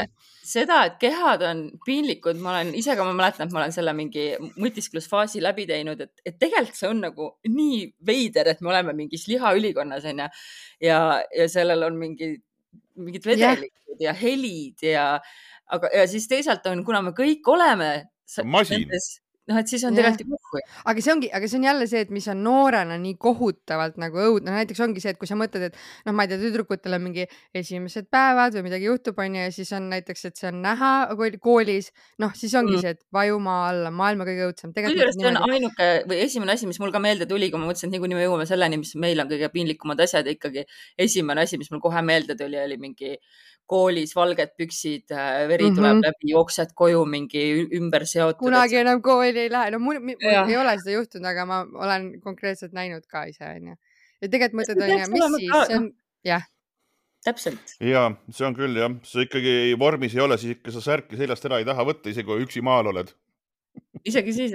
S3: seda, et kehad on piinlikud, ma olen ise ka, ma mäletan, et ma olen selle mingi mõtisklusfaasi läbi teinud, et, et tegelikult see on nagu nii veider, et me oleme mingis lihaülikonnas on ja, ja, ja sellel on mingi, mingid vedelikud ja, ja helid ja, aga, ja siis teisalt on, kuna me kõik oleme
S2: masin.
S3: noh, et siis on tegelikult ju muhku.
S1: Aga see ongi, aga see on jälle see, et mis on noorena nii kohutavalt nagu õudne. No, näiteks ongi see, et kui sa mõtled, et noh, ma ei tea, tüdrukutel on mingi esimesed päevad või midagi juhtub, on ju, ja siis on näiteks, et see on näha koolis, noh, siis ongi mm. see, et vajumaa alla, maailma kõige õudsem.
S3: Tegelikult see on ainuke või esimene asi, mis mul ka meelde tuli, kui ma mõtlesin, et niikuinii me jõuame selleni, mis meil on kõige piinlikumad asjad, ikkagi esimene asi, mis mul kohe meelde tuli, oli mingi koolis valged püksid, veri tuleb mm -hmm. läbi, jooksed koju mingi ümber seotud.
S1: Kunagi enam kooli ei lähe. No mul, mul ei ole seda juhtunud, aga ma olen konkreetselt näinud ka ise, on ju. Ja tegelikult mõtled, on ju, mis siis, see on, jah.
S3: Täpselt.
S2: Ja, see on küll, jah. See ikkagi vormis ei ole, siis ikka sa särki seljast ära ei taha võtta, isegi kui üksi maal oled.
S3: Isegi siis.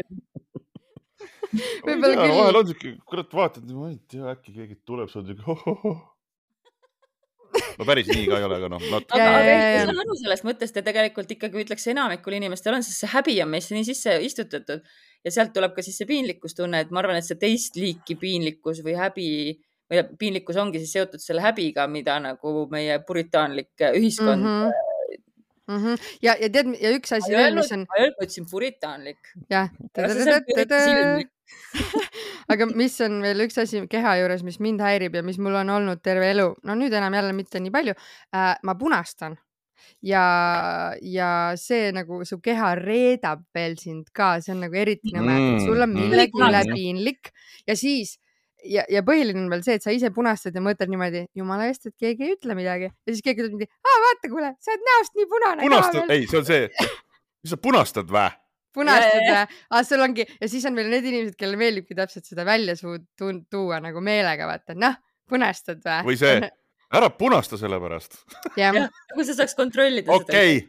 S1: Võib-olla küll.
S2: Vahel on siuke, kurat, vaatad, ma ei tea, äkki keegi tuleb, sa oled hohoho. No päris nii ka ei ole, aga noh.
S3: Aga, aga ei saa aru sellest mõttest ja tegelikult ikkagi ütleks enamikul inimestel on, sest see häbi on meisse nii sisse istutatud ja sealt tuleb ka siis see piinlikkustunne, et ma arvan, et see teist liiki piinlikkus või häbi, või piinlikkus ongi siis seotud selle häbiga, mida nagu meie puritaanlik ühiskond
S1: Mhm. Mhm. ja, ja tead, ja üks asi
S3: ma ei
S1: veel,
S3: öelnud,
S1: mis on,
S3: ma ei öelnud, ma ütlesin puritaanlik.
S1: jah,
S3: Aga see on eriti silmlik.
S1: aga mis on veel üks asi keha juures, mis mind häirib ja mis mul on olnud terve elu, no nüüd enam jälle mitte nii palju äh,, ma punastan ja, ja see nagu su keha reedab veel sind ka, see on nagu eriti nõme, et sul on
S2: Mm,
S1: millegi
S3: mm,
S1: üle
S3: mm.
S1: piinlik ja siis ja, ja põhiline on veel see, et sa ise punastad ja mõtled niimoodi, jumala eest, et keegi ei ütle midagi ja siis keegi ütleb mingi, aa vaata, kuule, sa oled näost nii punane
S2: punastad,
S1: ka veel.
S2: ei, see on see, mis sa punastad vä?
S1: Punastad
S3: Ja, ja,
S1: ja, ah, sul ongi ja siis on veel need inimesed, kellele meeldibki täpselt seda välja suu tu- tuua nagu meelega, vaata, noh, punastad vä?
S2: Või see, ära punasta selle pärast.
S1: jah,
S3: jah, kui sa saaks kontrollida seda.
S2: Okei.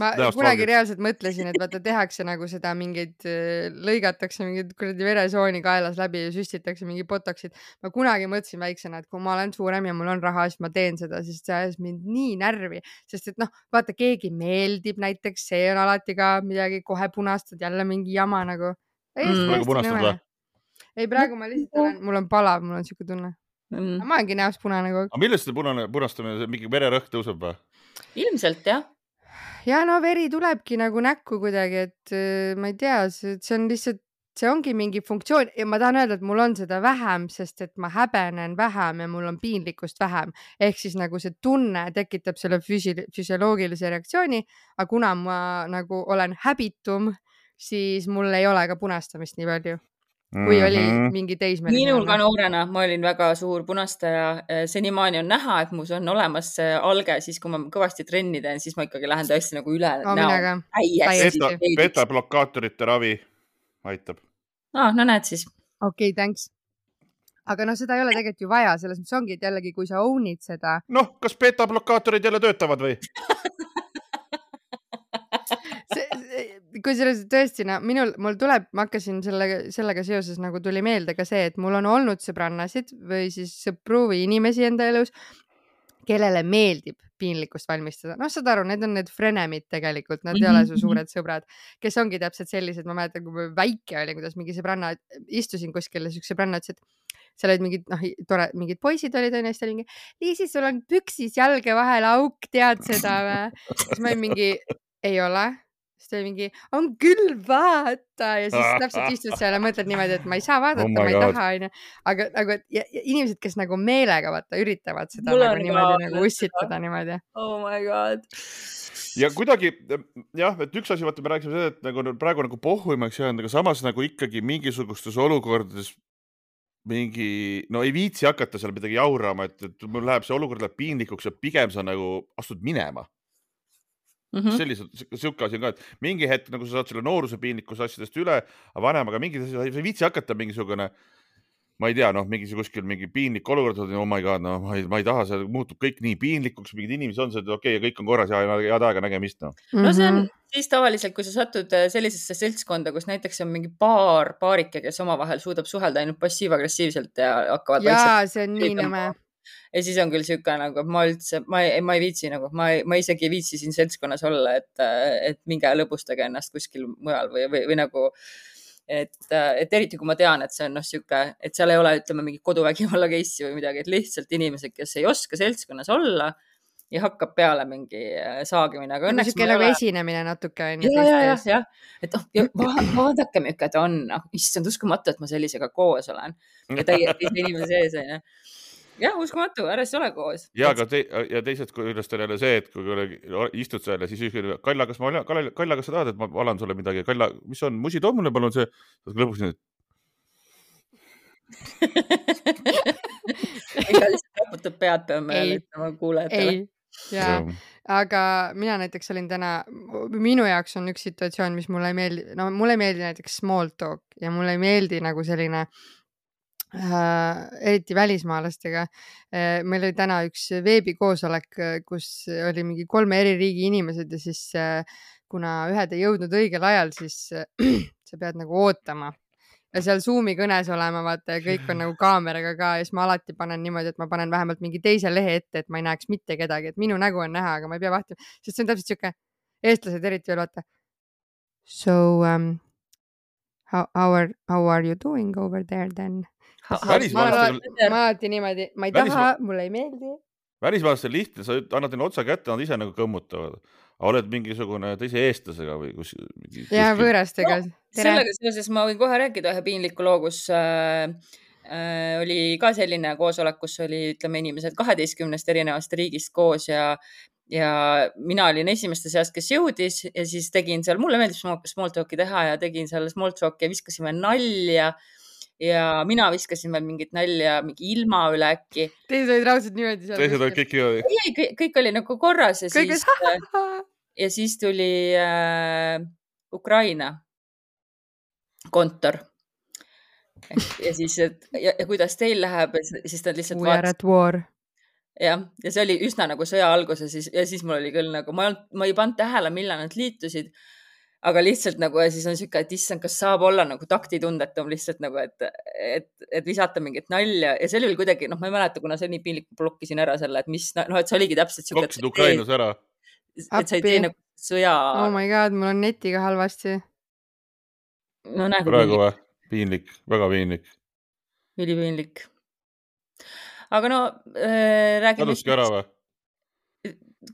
S1: ma
S2: Näost
S1: kunagi
S2: valgeks.
S1: reaalselt mõtlesin, et vaata tehakse nagu seda mingeid, äh, lõigatakse mingid kuradi veresooni kaelas läbi ja süstitakse mingi botoxid. Ma kunagi mõtlesin väiksena, et kui ma olen suurem ja mul on raha, siis ma teen seda, sest see ajas mind nii närvi, sest et noh, vaata, keegi meeldib näiteks, see on alati ka midagi, kohe punastad jälle mingi jama nagu.
S3: Mm.
S2: Praegu punastad
S1: nõme.
S2: või?
S1: Ei, praegu ma lihtsalt olen, mul on palav, mul on siuke tunne.
S3: Mm.
S1: Ma olengi näost punane kogu aeg.
S2: Aga millest see punane, punastamine, mingi vererõhk tõuseb või?
S3: Ilmselt jah.
S1: Ja no veri tulebki nagu näkku kuidagi, et äh, ma ei tea, see, see on lihtsalt, see ongi mingi funktsioon ja ma tahan öelda, et mul on seda vähem, sest et ma häbenen vähem ja mul on piinlikkust vähem. Ehk siis nagu see tunne tekitab selle füsi- füsioloogilise reaktsiooni, aga kuna ma nagu olen häbitum, siis mul ei ole ka punastamist nii palju, kui oli
S2: Mhm.
S1: mingi
S3: Minul ka
S1: teismeline.
S3: noorena ma olin väga suur punastaja. Senimaani on näha, et mus on olemas see alge, siis kui ma kõvasti trenni teen, siis ma ikkagi lähen tõesti nagu üle
S1: No,
S3: näo.
S1: minega.
S3: Täiesti.
S2: Beta, beta-blokaatorite ravi aitab.
S3: Ah, no näed siis.
S1: Okei, okay, thanks. Aga noh, seda ei ole tegelikult ju vaja, selles mõttes ongi, et jällegi, kui sa own'id seda,
S2: Noh, kas beta-blokaatorid jälle töötavad või?
S1: see, see, kui selles tõesti, no minul, mul tuleb, ma hakkasin sellega, sellega seoses nagu tuli meelde ka see, et mul on olnud sõbrannasid või siis sõpru või inimesi enda elus, kellele meeldib piinlikkust valmistada. Noh, saad aru, need on need frenemid tegelikult, nad ei ole su suured sõbrad, kes ongi täpselt sellised, ma mäletan, kui ma väike oli, kuidas mingi sõbranna, istusin kuskil ja üks sõbranna ütles, et seal olid mingid, noh, tore, mingid poisid olid, on ja siis ta oli mingi, Liisi, sul on püksis jalge vahel auk, tead seda või? Siis ma olin mingi, ei ole. Siis ta oli mingi, on küll, vaata. Ja siis täpselt istud seal ja mõtled niimoodi, et ma ei saa vaadata,
S2: Oh
S1: ma
S2: my
S1: ei
S2: God.
S1: taha. Aine. Aga nagu, et ja, ja inimesed, kes nagu meelega vaata, üritavad seda
S3: Mul
S1: nagu
S3: on
S1: niimoodi
S3: ka
S1: nagu ussitada niimoodi.
S3: Oh my god.
S2: Ja kuidagi, jah, et üks asi, vaata, me rääkisime seda, et nagu praegu nagu pohhuimaks jäänud, aga samas nagu ikkagi mingisugustes olukordades mingi, no ei viitsi hakata seal midagi jaurama, et, et mul läheb see olukord läheb piinlikuks ja pigem sa nagu astud minema.
S3: Mm -hmm.
S2: Sellised, siuke asi on ka, et mingi hetk nagu sa saad selle nooruse piinlikkuse asjadest üle, aga vanemaga mingi asi, sa ei viitsi hakata mingisugune, ma ei tea, noh, mingi kuskil mingi piinlik olukord, oh my god, no ma ei, ma ei taha, see muutub kõik nii piinlikuks, mingid inimesed on see, et okei okay, ja kõik on korras ja head aega nägemist. No.
S3: no see on siis tavaliselt, kui sa satud sellisesse seltskonda, kus näiteks on mingi paar paarike, kes omavahel suudab suhelda ainult passiiv-agressiivselt ja hakkavad
S1: jaa, see on nii nõme.
S3: Ja siis on küll siuke nagu, et ma üldse, ma ei, ma ei viitsi nagu, ma, ei, ma isegi ei viitsi siin seltskonnas olla, et, et minge lõbustage ennast kuskil mujal või, või, või nagu, et, et eriti kui ma tean, et see on noh siuke, et seal ei ole, ütleme, mingi koduvägivalla case'i või midagi, et lihtsalt inimesed, kes ei oska seltskonnas olla ja hakkab peale mingi saagimine. Aga
S1: õnneks siuke nagu esinemine natuke.
S3: Ja, ja, ja, ja. Et oh, ja vaadake, milline ta on. Oh, issand, uskumatu, et ma sellisega koos olen. Ja täiesti inimese sees on. Ja. Jah, uskumatu, ära siis ole koos.
S2: Ja, aga te, ja teised, kuidas on jälle see, et kui istud seal ja siis üksõi, Kalla, kas ma, Kalla, Kalla, kas sa tahad, et ma valan sulle midagi? Kalla, mis on, musi too mulle palun see? Lõpuks nüüd.
S3: Ega lihtsalt raputab pead, peame ütlema kuulajatele.
S1: Ei, jaa. Aga mina näiteks olin täna, minu jaoks on üks situatsioon, mis mulle ei meeldi, no mulle ei meeldi näiteks small talk ja mulle ei meeldi nagu selline Äh, eriti välismaalastega. Äh, meil oli täna üks veebikoosolek, kus oli mingi kolme eri riigi inimesed ja siis äh, kuna ühed ei jõudnud õigel ajal, siis äh, sa pead nagu ootama ja seal Zoomi kõnes olema, vaata, ja kõik on nagu kaameraga ka ja siis ma alati panen niimoodi, et ma panen vähemalt mingi teise lehe ette, et ma ei näeks mitte kedagi, et minu nägu on näha, aga ma ei pea vahtima, sest see on täpselt siuke, eestlased eriti veel vaata. So um, how, how, are, how are you doing over there then?
S2: Ha, ma
S1: alati niimoodi, ma ei taha, mulle ei meeldi.
S2: Välismaalastel lihtne, sa annad neile otsa kätte, nad ise nagu kõmmutavad. Oled mingisugune teise eestlasega või kus...
S1: Ja, võõrastega.
S3: No, sellega seoses ma võin kohe rääkida ühe piinliku loo, kus äh, äh, oli ka selline koosolek, kus oli, ütleme, inimesed kaheteistkümnest erinevast riigist koos ja ja mina olin esimeste seast, kes jõudis ja siis tegin seal, mulle meeldib small talki teha ja tegin seal small talki ja viskasime nalja ja mina viskasin veel mingit nalja mingi ilma üle äkki.
S1: Teised olid raudselt niimoodi.
S2: Teised olid kõik niimoodi.
S3: Ei, kõik, kõik oli nagu korras ja
S1: kõik
S3: siis, ja siis tuli äh, Ukraina kontor. Ja siis, et, ja, ja kuidas teil läheb, siis ta lihtsalt
S1: We are at war.
S3: Ja, ja see oli üsna nagu sõja algus ja siis, ja siis mul oli küll nagu, ma ei, ma ei pannud tähele, millal nad liitusid, aga lihtsalt nagu, ja siis on siuke, et issand, kas saab olla nagu taktitundetum lihtsalt nagu, et, et, et visata mingit nalja ja see oli kuidagi, noh, ma ei mäleta, kuna see nii piinlik blokkisin ära selle, et mis, noh, et see oligi täpselt siuke.
S2: Blokkisid Ukrainus ära.
S3: Et sa ei tee nagu sõja.
S1: Oh my god, mul on netiga halvasti.
S3: No näe.
S2: Praegu või? Piinlik, väga piinlik.
S3: Üli piinlik. Aga no äh, räägime...
S2: Kaduski ära või?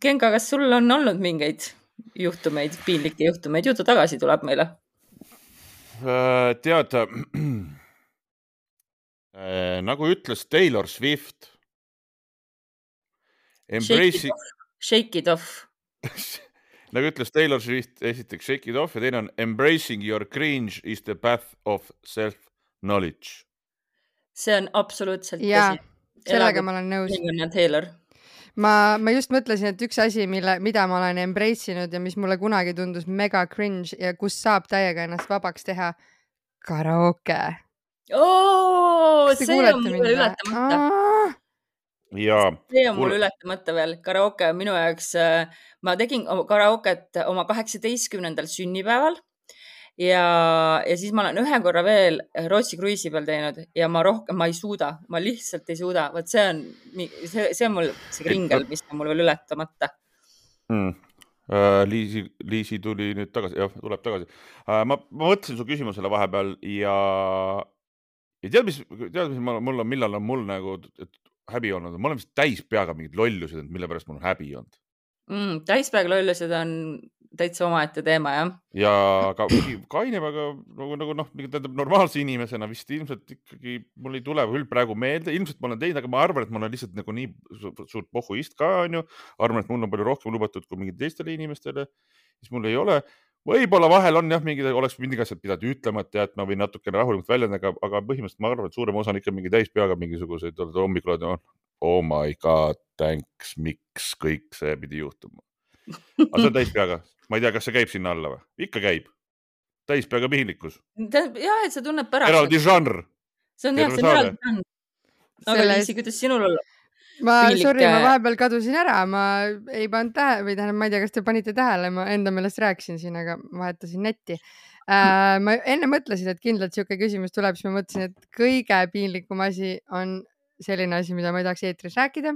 S3: Genka, kas sul on olnud mingeid juhtumeid, piinlikke juhtumeid? Jutu tagasi tuleb meile.
S2: Äh, tead, äh, nagu ütles Taylor Swift.
S3: Embracing... Shake it off.
S2: Nagu ütles Taylor Swift, esiteks shake it off ja teine on embracing your cringe is the path of self-knowledge.
S3: See on absoluutselt
S1: ja. Tõsi. Sellega ma olen nõus. Ma, ma just mõtlesin, et üks asi, mille, mida ma olen embrace'inud ja mis mulle kunagi tundus mega cringe ja kus saab täiega ennast vabaks teha, karaoke.
S3: Oo, see on mulle ületamata.
S2: Ja,
S3: see on mul ületamata veel. Karaoke minu jaoks, ma tegin karaoket oma kaheksateistkümnendal sünnipäeval. Ja, ja siis ma olen ühe korra veel Rootsi kruiisi peal teinud ja ma rohkem, ma ei suuda, ma lihtsalt ei suuda. Võt see on, see, see on mul see kringel, mis on mul veel ületamata.
S2: Hmm. Uh, Liisi, Liisi tuli nüüd tagasi, jah, tuleb tagasi. Uh, ma, ma mõtlesin su küsimusele vahepeal ja, ja tead, mis, tead, mis mul on, millal on mul nagu et häbi olnud? Ma olen vist täis peaga mingid lollused, mille pärast mul on häbi olnud.
S3: Mm, täispäev lollused on täitsa omaette teema, jah?
S2: Ja ka kaineb, aga nagu, nagu noh, normaalse inimesena vist ilmselt ikkagi mul ei tule küll praegu meelde. Ilmselt ma olen teinud, aga ma arvan, et ma olen lihtsalt nagu nii suurt pohhuist ka, on ju. Arvan, et mul on palju rohkem lubatud kui mingid teistele inimestele. Siis mul ei ole. Võib-olla vahel on jah, mingid, oleks mingi asjad pidanud ütlema, et ma võin natukene rahulikult väljenda, aga, aga põhimõtteliselt ma arvan, et suurem osa on ikka mingi täispeaga mingisuguseid hommikul, oh my god, thanks, miks kõik see pidi juhtuma. Aga see on täispeaga. Ma ei tea, kas see käib sinna alla või? Ikka käib. Täispeaga piinlikkus.
S3: Jah, et sa tunned pärast.
S2: Eraldi žanr.
S3: See on jah, see on eraldi žanr. Aga Liisi, kuidas sinul olla?
S1: Ma, sorry, ma vahepeal kadusin ära. Ma ei pannud tähe, või tähendab, ma ei tea, kas te panite tähele. Ma enda meelest rääkisin siin, aga vahetasin netti. Äh, ma enne mõtlesin, et kindlalt siuke küsimus tuleb, siis ma mõtlesin, et kõige piinlikum asi on selline asi, mida ma ei tahaks eetris rääkida.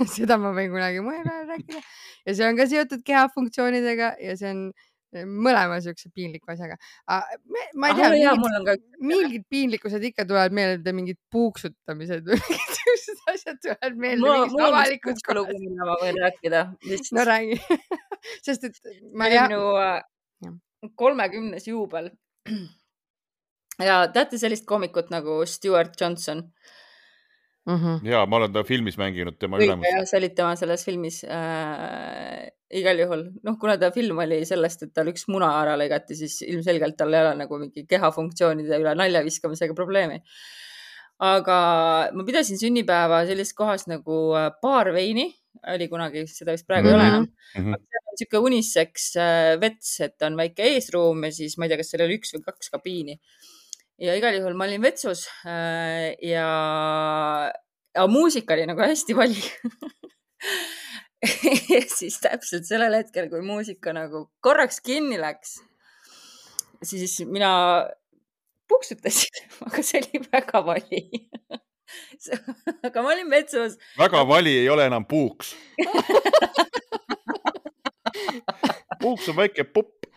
S1: Seda ma võin kunagi mõne peale rääkida. Ja see on ka seotud kehafunktsioonidega ja see on mõlema siukse piinliku asjaga. Ma ei tea,
S3: Aha, jah,
S1: mingid,
S3: ka...
S1: mingid piinlikkused ikka tulevad meelde, mingid puuksutamised või mingid asjad tulevad meelde.
S3: Mul, mul on üks puuksulugu, mida ma võin rääkida. Vist.
S1: No räägi. Sest, et
S3: ma ei... Minu äh, kolmekümnes juubel. Ja teate sellist koomikut nagu Stuart Johnson?
S1: Mm-hmm.
S2: Ja, ma olen ta filmis mänginud tema
S3: Kõik,
S2: ülemus.
S3: Ja, sa olid tema selles filmis äh, igal juhul. Noh, kuna ta film oli sellest, et tal üks muna ära lõigati, siis ilmselgelt tal ei ole nagu mingi kehafunktsioonide üle nalja viskamisega probleemi. Aga ma pidasin sünnipäeva sellises kohas nagu Baar Veini. Oli kunagi, seda vist praegu mm-hmm. ei ole enam. Mm-hmm. Aga see on siuke uniseks vets, et on väike eesruum ja siis ma ei tea, kas seal oli üks või kaks kabiini. Ja igal juhul ma olin vetsus äh, ja, ja muusika oli nagu hästi vali. Ja siis täpselt sellel hetkel, kui muusika nagu korraks kinni läks, siis mina puksutasin, aga see oli väga vali. Aga ma olin vetsus.
S2: Väga vali ei ole enam puuks. Puuks on väike pupp.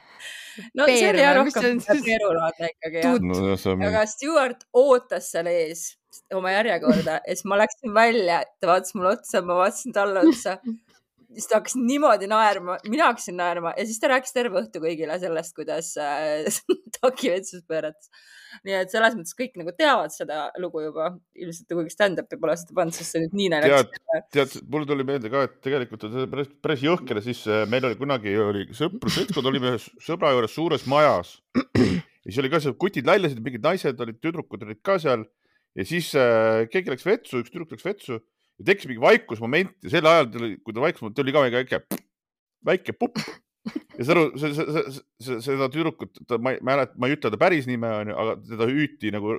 S3: no see oli
S1: Peeru
S3: jah
S1: või? Mis see
S3: rohkem
S1: on siis?
S3: peerulaadne ikkagi jah.
S2: No, see on mingi...
S3: Aga Stewart ootas seal ees oma järjekorda ja siis ma läksin välja, ta vaatas mulle otsa, ma vaatasin talle otsa. Siis ta hakkas niimoodi naerma, mina hakkasin naerma ja siis ta rääkis terve õhtu kõigile sellest, kuidas äh, Taki vetsus pööratas. Nii et selles mõttes kõik nagu teavad seda lugu juba. Ilmselt kuigi stand-up'i pole seda pannud, sest see nüüd nii näilekas.
S2: Tead, tead, mulle tuli meelde ka, et tegelikult on päris, päris jõhker. Siis meil oli kunagi oli sõprus, seltskond olime sõbra juures suures majas. Ja siis oli ka seal kutid läljasid, mingid naised olid, tüdrukud olid ka seal. Ja siis äh, keegi läks vetsu, üks tüdruk läks vetsu. Ja tekkis mingi vaikusmoment ja sel ajal, kui ta vaikusmoment, tuli ka väike, väike pupp. Ja seda, seda, seda, seda tüdrukut, ta, ma, ma, ma ei ütle ta päris nime, aga teda hüüti nagu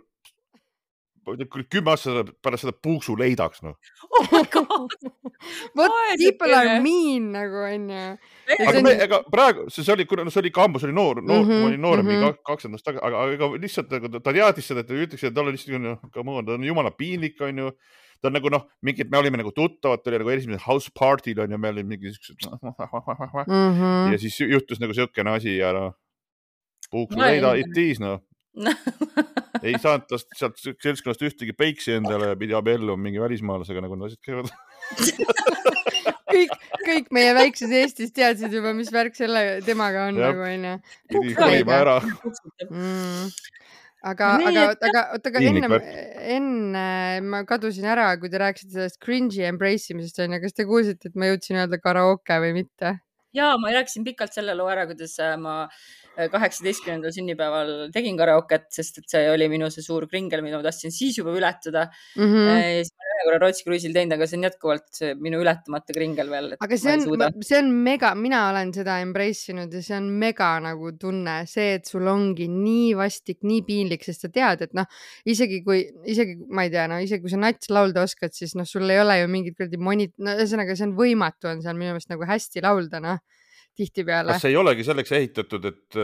S2: kümme aastat pärast seda puuksu leidaks. No.
S3: Oh my god!
S1: What people are mean nagu on ju.
S2: Aga me, ega praegu, see oli, no, see oli kambus, oli noor, noor mm -hmm, ma olin noorem mm -hmm. kakskümmend aastat, aga, aga lihtsalt ta teadis seda, et ta ütleks, et ta oli lihtsalt, ta on jumala piinlik, on ju. Ta on nagu noh, mingid, me olime nagu tuttavad, ta oli nagu esimesel house party'l on ja me olime mingi mm -hmm. ja siis juhtus nagu siukene asi ja noh, puuksu leida it is, noh. Ei saanud tast sealt seltskonnast ühtegi peiksi endale ja pidi abielluma mingi välismaalasega, nagu nad asjad käivad.
S1: kõik, kõik meie väikses Eestis teadsid juba, mis värk selle temaga on nagu onju.
S2: Pidi kolima ära.
S1: Mm. Aga, aga, aga, aga enne, enne ma kadusin ära, kui te rääkisite sellest cringe'i embrace imisest on ja kas te kuulsite, et ma jõudsin öelda karaoke või mitte?
S3: Jaa, ma rääkisin pikalt selle loo ära, kuidas ma kaheksateistkümnendal sünnipäeval tegin karaoket, sest et see oli minu see suur kringel, mida ma tahtsin siis juba ületada. Mm -hmm. Siis ma ühe korra Rootsi kruiisil teinud, aga see on jätkuvalt minu ületamata kringel veel.
S1: Aga see on, see on mega, mina olen seda embrace inud ja see on mega nagu tunne, see, et sul ongi nii vastik, nii piinlik, sest sa tead, et noh, isegi kui, isegi ma ei tea, no isegi kui sa nats laulda oskad, siis noh, sul ei ole ju mingid kuradi monit, no ühesõnaga see on võimatu on seal minu meelest nagu hästi laulda, noh. Tihtipeale.
S2: Kas see ei olegi selleks ehitatud, et,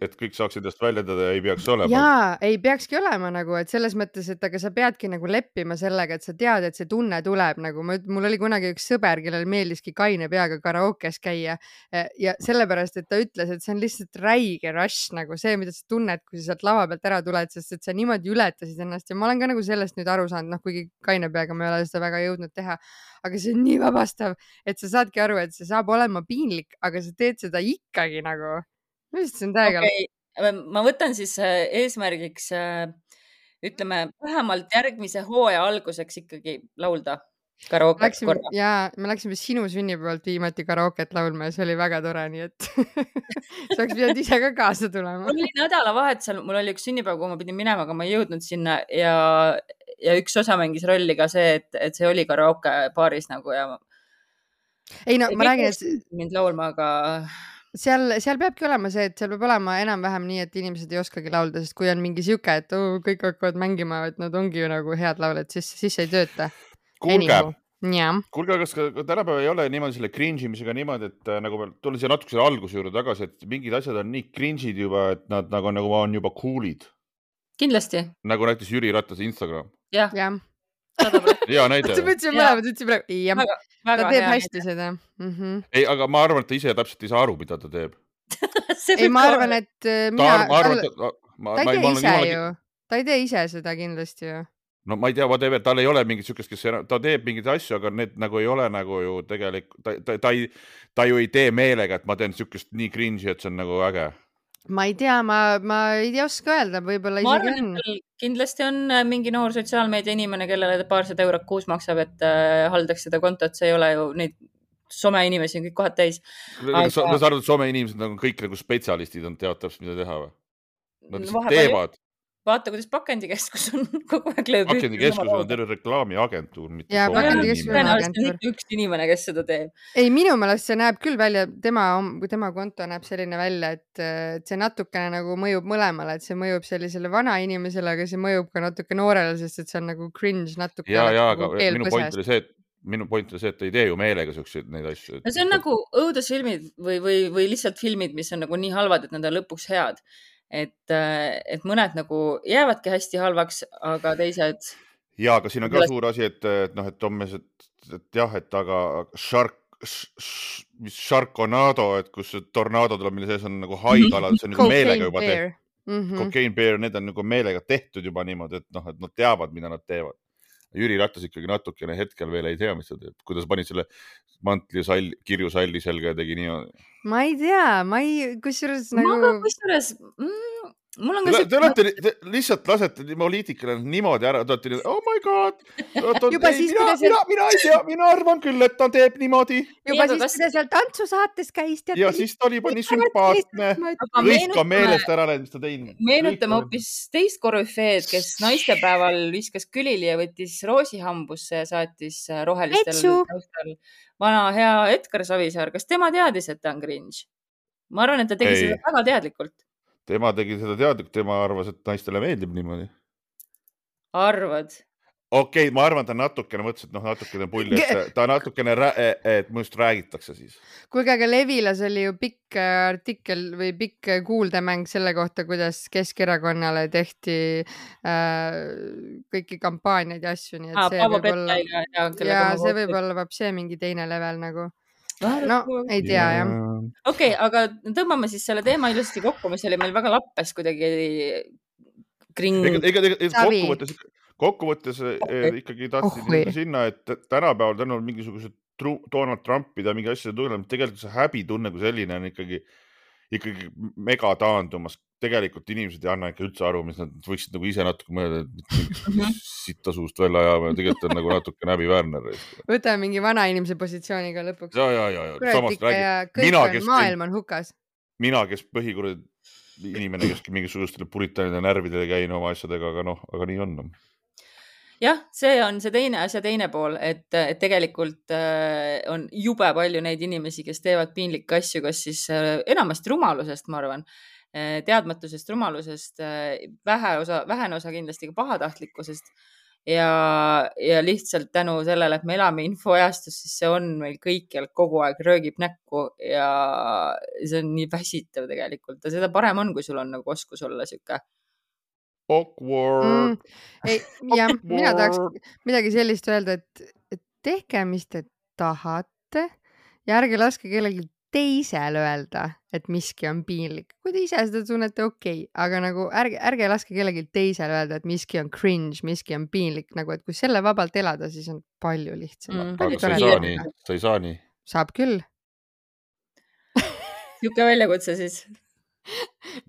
S2: et kõik saaksid ennast väljendada ja ei peaks olema?
S1: Jaa, ei peakski olema nagu, et selles mõttes, et aga sa peadki nagu leppima sellega, et sa tead, et see tunne tuleb nagu, mul oli kunagi üks sõber, kellel meeldiski kaine peaga karaokes käia ja sellepärast, et ta ütles, et see on lihtsalt räige rush nagu see, mida sa tunned, kui sa sealt lava pealt ära tuled, sest et sa niimoodi ületasid ennast ja ma olen ka nagu sellest nüüd aru saanud, noh, kuigi kaine peaga ma ei ole seda väga jõudnud teha, aga see on nii vabastav, et sa saadki aru, et see saab olema piinlik, aga sa teed seda ikkagi nagu. Mis see on täiega?
S3: Okay. Ma võtan siis eesmärgiks, ütleme, vähemalt järgmise hooaja alguseks ikkagi laulda karaoke korra.
S1: Jaa, me läksime sinu sünnipäevalt viimati karaoket laulma ja see oli väga tore, nii et sa oleks pidanud ise ka kaasa tulema.
S3: Mul oli nädalavahetusel, mul oli üks sünnipäev, kui ma pidin minema, aga ma ei jõudnud sinna ja, ja üks osa mängis rolli ka see, et, et see oli karaoke baaris nagu ja
S1: ei no, ma räägin, et
S3: mind laulma, aga
S1: seal, seal peabki olema see, et seal peab olema enam-vähem nii, et inimesed ei oskagi laulda, sest kui on mingi siuke, et oh, kõik hakkavad mängima, et nad ongi ju nagu head lauled, siis, siis ei tööta.
S2: Kuulge,
S1: ja.
S2: kuulge, kas ka tänapäeva ei ole niimoodi selle cringe imisega niimoodi, et nagu me tulin siia natuke selle alguse juurde tagasi, et mingid asjad on nii cringe'id juba, et nad nagu, nagu on juba cool'id.
S3: Kindlasti.
S2: Nagu näiteks Jüri Ratas Instagram.
S3: Jah.
S1: Ja.
S2: Hea näide.
S1: Ta mõtlesime mõlemad, ütlesin praegu, jah, ta teeb hästi seda. Mm -hmm.
S2: Ei, aga ma arvan, et ta ise täpselt ei saa aru, mida ta teeb.
S1: ei, ma arvan, et mina,
S2: ta, arvan, ta, ma,
S1: ta ei tee ise
S2: jumala...
S1: ju, ta ei tee ise seda kindlasti ju.
S2: No ma ei tea, whatever, tal ei ole mingit sükest, kes ta teeb mingid asju, aga need nagu ei ole nagu ju tegelikult, ta, ta, ta, ei, ta ju ei tee meelega, et ma teen sükest nii cringe'i, et see on nagu äge.
S1: Ma ei tea, ma, ma ei oska öelda, võib-olla
S3: ma
S1: isegi
S3: arvan, on. Kindlasti on mingi noor sotsiaalmeedia inimene, kellele paarsada eurot kuus maksab, et äh, haldaks seda kontot, see ei ole ju neid some inimesi on kõik kohad täis.
S2: Aga... Sa arvad, et some inimesed on kõik nagu spetsialistid, on teavad täpselt, mida teha või? Nad lihtsalt teevad.
S3: Vaata, kuidas pakendikeskus on kogu aeg lööb.
S2: Pakendikeskus on terve reklaamiagentuur.
S1: Ja, pakendikeskus on agentuur.
S3: Üks inimene, kes seda teeb.
S1: Ei, minu meelest see näeb küll välja, tema, tema konto näeb selline välja, et see natukene nagu mõjub mõlemale, et see mõjub sellisele vana inimesele, aga see mõjub ka natuke noorele, sest et see on nagu cringe natuke.
S2: Ja, ja, aga minu point oli see, et minu point oli see, et ei tee ju meelega selliseid neid asju.
S3: No see on nagu õudusfilmid või, või, või lihtsalt filmid, mis on nagu nii halvad, et nad on lõpuks head. Et, et mõned nagu jäävadki hästi halvaks, aga teised...
S2: Ja, aga siin on ka suur asi, et, et noh, et Tommes, et, et jah, et aga Shark, mis Sharknado, et kus tornado tuleb, mille sees on nagu haikalad, see on nagu meelega juba tehtud. Mm-hmm. Cocaine Bear, need on nagu meelega tehtud juba niimoodi, et noh, et nad teavad, mida nad teevad. Jüri Ratas ikkagi natukene hetkel veel ei tea, mis ta teeb. Kuidas pani selle mantli sall, kirju salli selga ja tegi nii.
S1: Ma ei tea, ma ei, kusjuures nagu...
S3: Ma ka kusjuures... Mm... Mul on
S2: te, te olete te lihtsalt lasete poliitikale niimoodi ära, te olete nii, oh my god,
S1: juba ei, siis,
S2: mina,
S1: seal...
S2: mina, mina ei tea, mina arvan küll, et ta teeb niimoodi.
S1: Juba siis, kas... kui ta seal tantsusaates käis.
S2: Ja siis ta oli juba nii sümpaatne, kõik ka meelest ära need, mis ta teinud.
S3: Meenutame hoopis teist korüfeed, kes naistepäeval viskas külili ja võttis roosihambusse ja saatis rohelistel taustal vana hea Edgar Savisaar. Kas tema teadis, et ta on cringe? Ma arvan, et ta tegi ei. Seda väga teadlikult.
S2: Tema tegi seda teadlikult, tema arvas, et naistele meeldib niimoodi.
S3: Arvad?
S2: Okei, okay, ma arvan, ta natukene mõtles, et noh, natukene pulli, et ta natukene, et mõnust räägitakse siis.
S1: Kuulge, aga Levilas oli ju pikk artikkel või pikk kuuldemäng selle kohta, kuidas Keskerakonnale tehti äh, kõiki kampaaniaid ja asju. Nii et
S3: ah,
S1: see võib olla, ja, ja see võib olla vab see mingi teine level nagu. No, ei tea, jah.
S3: Okei, okay, aga tõmbame siis selle teema ilusti kokku, mis oli meil väga lappes kuidagi kring...
S2: Ega, ega, ega kokkuvõttes, kokkuvõttes okay. ikkagi tahtsid oh, sinna, et tänapäeval tänu mingisugused Donald Trumpid ja mingi asjade tunneb, tegelikult see häbitunne kui selline on ikkagi, ikkagi mega taandumas. Tegelikult inimesed ei anna ikka üldse aru, mis nad võiksid nagu ise natuke mõelda, et sitta suust välja ajama ja tegelikult on nagu natuke näbiväärne.
S1: Võta mingi vana inimese positsiooniga lõpuks.
S2: Ja, ja, ja, ja.
S1: Kurat ikka ja kõik mina, on, maailm on hukas.
S2: Mina, kes põhikurad inimene, kes mingisugustele puritanide närvidele käin oma asjadega, aga noh, aga nii on.
S3: Jah, see on see teine asja teine pool, et, et tegelikult on jube palju neid inimesi, kes teevad piinlikke asju, kas siis enamasti rumalusest, ma arvan, teadmatusest, rumalusest, vähe osa, vähene osa kindlasti ka pahatahtlikkusest ja, ja lihtsalt tänu sellele, et me elame infoajastus, siis see on meil kõikjal kogu aeg röögib näkku ja see on nii väsitav tegelikult ja seda parem on, kui sul on nagu oskus olla siuke
S2: awkward. Mm,
S1: ei, ja awkward. Mina tahaks midagi sellist öelda, et, et tehke, mis te tahate ja ärge laske kellelgi teisel öelda, et miski on piinlik. Kui te ise seda tunnete, okei, okay. aga nagu ärge, ärge laske kellelgi teisel öelda, et miski on cringe, miski on piinlik, nagu et kui selle vabalt elada, siis on palju lihtsam.
S2: Mm, aga sa ei saa nii, sa ei saa nii.
S1: Saab küll.
S3: Siuke väljakutse siis.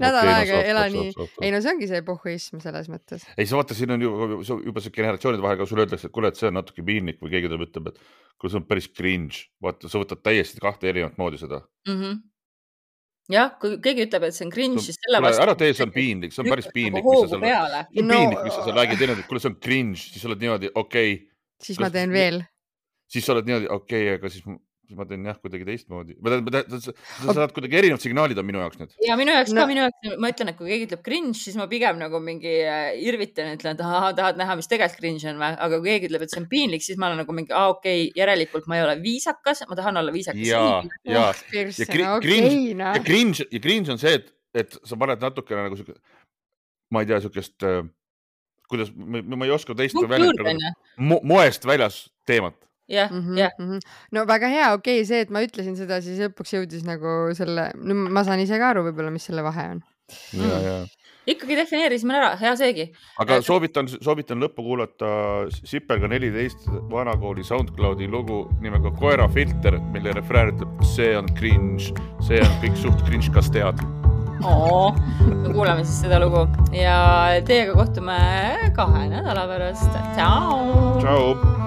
S1: Nädal okay, aega no, ela nii. Ei no see ongi see pohhuism selles mõttes.
S2: Ei, sa vaata, siin on juba, juba see generatsioonide vahel, kui sulle öeldakse, et kuule, et see on natuke piinlik või keegi tuleb ütleb, et kui see on päris cringe. Vaata, sa võtad täiesti kahte erinevat moodi seda.
S3: Mm-hmm. Jah, kui keegi ütleb, et see on cringe, siis selle
S2: vastu... Ära tee, see on piinlik, see on päris piinlik.
S3: Hoogu
S2: seal...
S3: peale.
S2: See on no... piinlik, mis sa seal räägid, et kuule, see on cringe, siis sa oled niimoodi, okei. Okay.
S1: Siis ma teen veel.
S2: Siis sa oled niimoodi, okei, okay, aga siis... siis ma teen jah kuidagi teistmoodi. Sa saad kuidagi erinevad signaalid on minu jaoks nüüd.
S3: Ja minu jaoks no. ka, minu jaoks, ma ütlen, et kui keegi ütleb cringe, siis ma pigem nagu mingi irvitan, ütlen, et aha, tahad näha, mis tegelikult cringe on või? Aga kui keegi ütleb, et see on piinlik, siis ma olen nagu mingi, ah, okei, okay, järelikult ma ei ole viisakas, ma tahan olla viisakas.
S2: Ja, ja, oh, ja, cringe, okay, no. ja, cringe, ja cringe on see, et, et sa paned natukene nagu siuke, ma ei tea, siukest, kuidas, ma, ma ei oska teist välja, mo, moest väljas teemat.
S3: jah,
S1: mm-hmm,
S3: jah.
S1: Mm-hmm. No väga hea, okei, okay, see, et ma ütlesin seda, siis lõpuks jõudis nagu selle, no ma saan ise ka aru võib-olla, mis selle vahe on.
S2: Ja, ja.
S3: Ikkagi defineerisime ära, hea seegi.
S2: Aga soovitan, soovitan lõppu kuulata Sipelga neliteist vanakooli SoundCloudi lugu nimega Koera filter, mille refrään ütleb, see on cringe, see on kõik suht cringe, kas tead?
S3: Oo, me kuuleme siis seda lugu ja teiega kohtume kahe nädala pärast. Ciao!
S2: Ciao!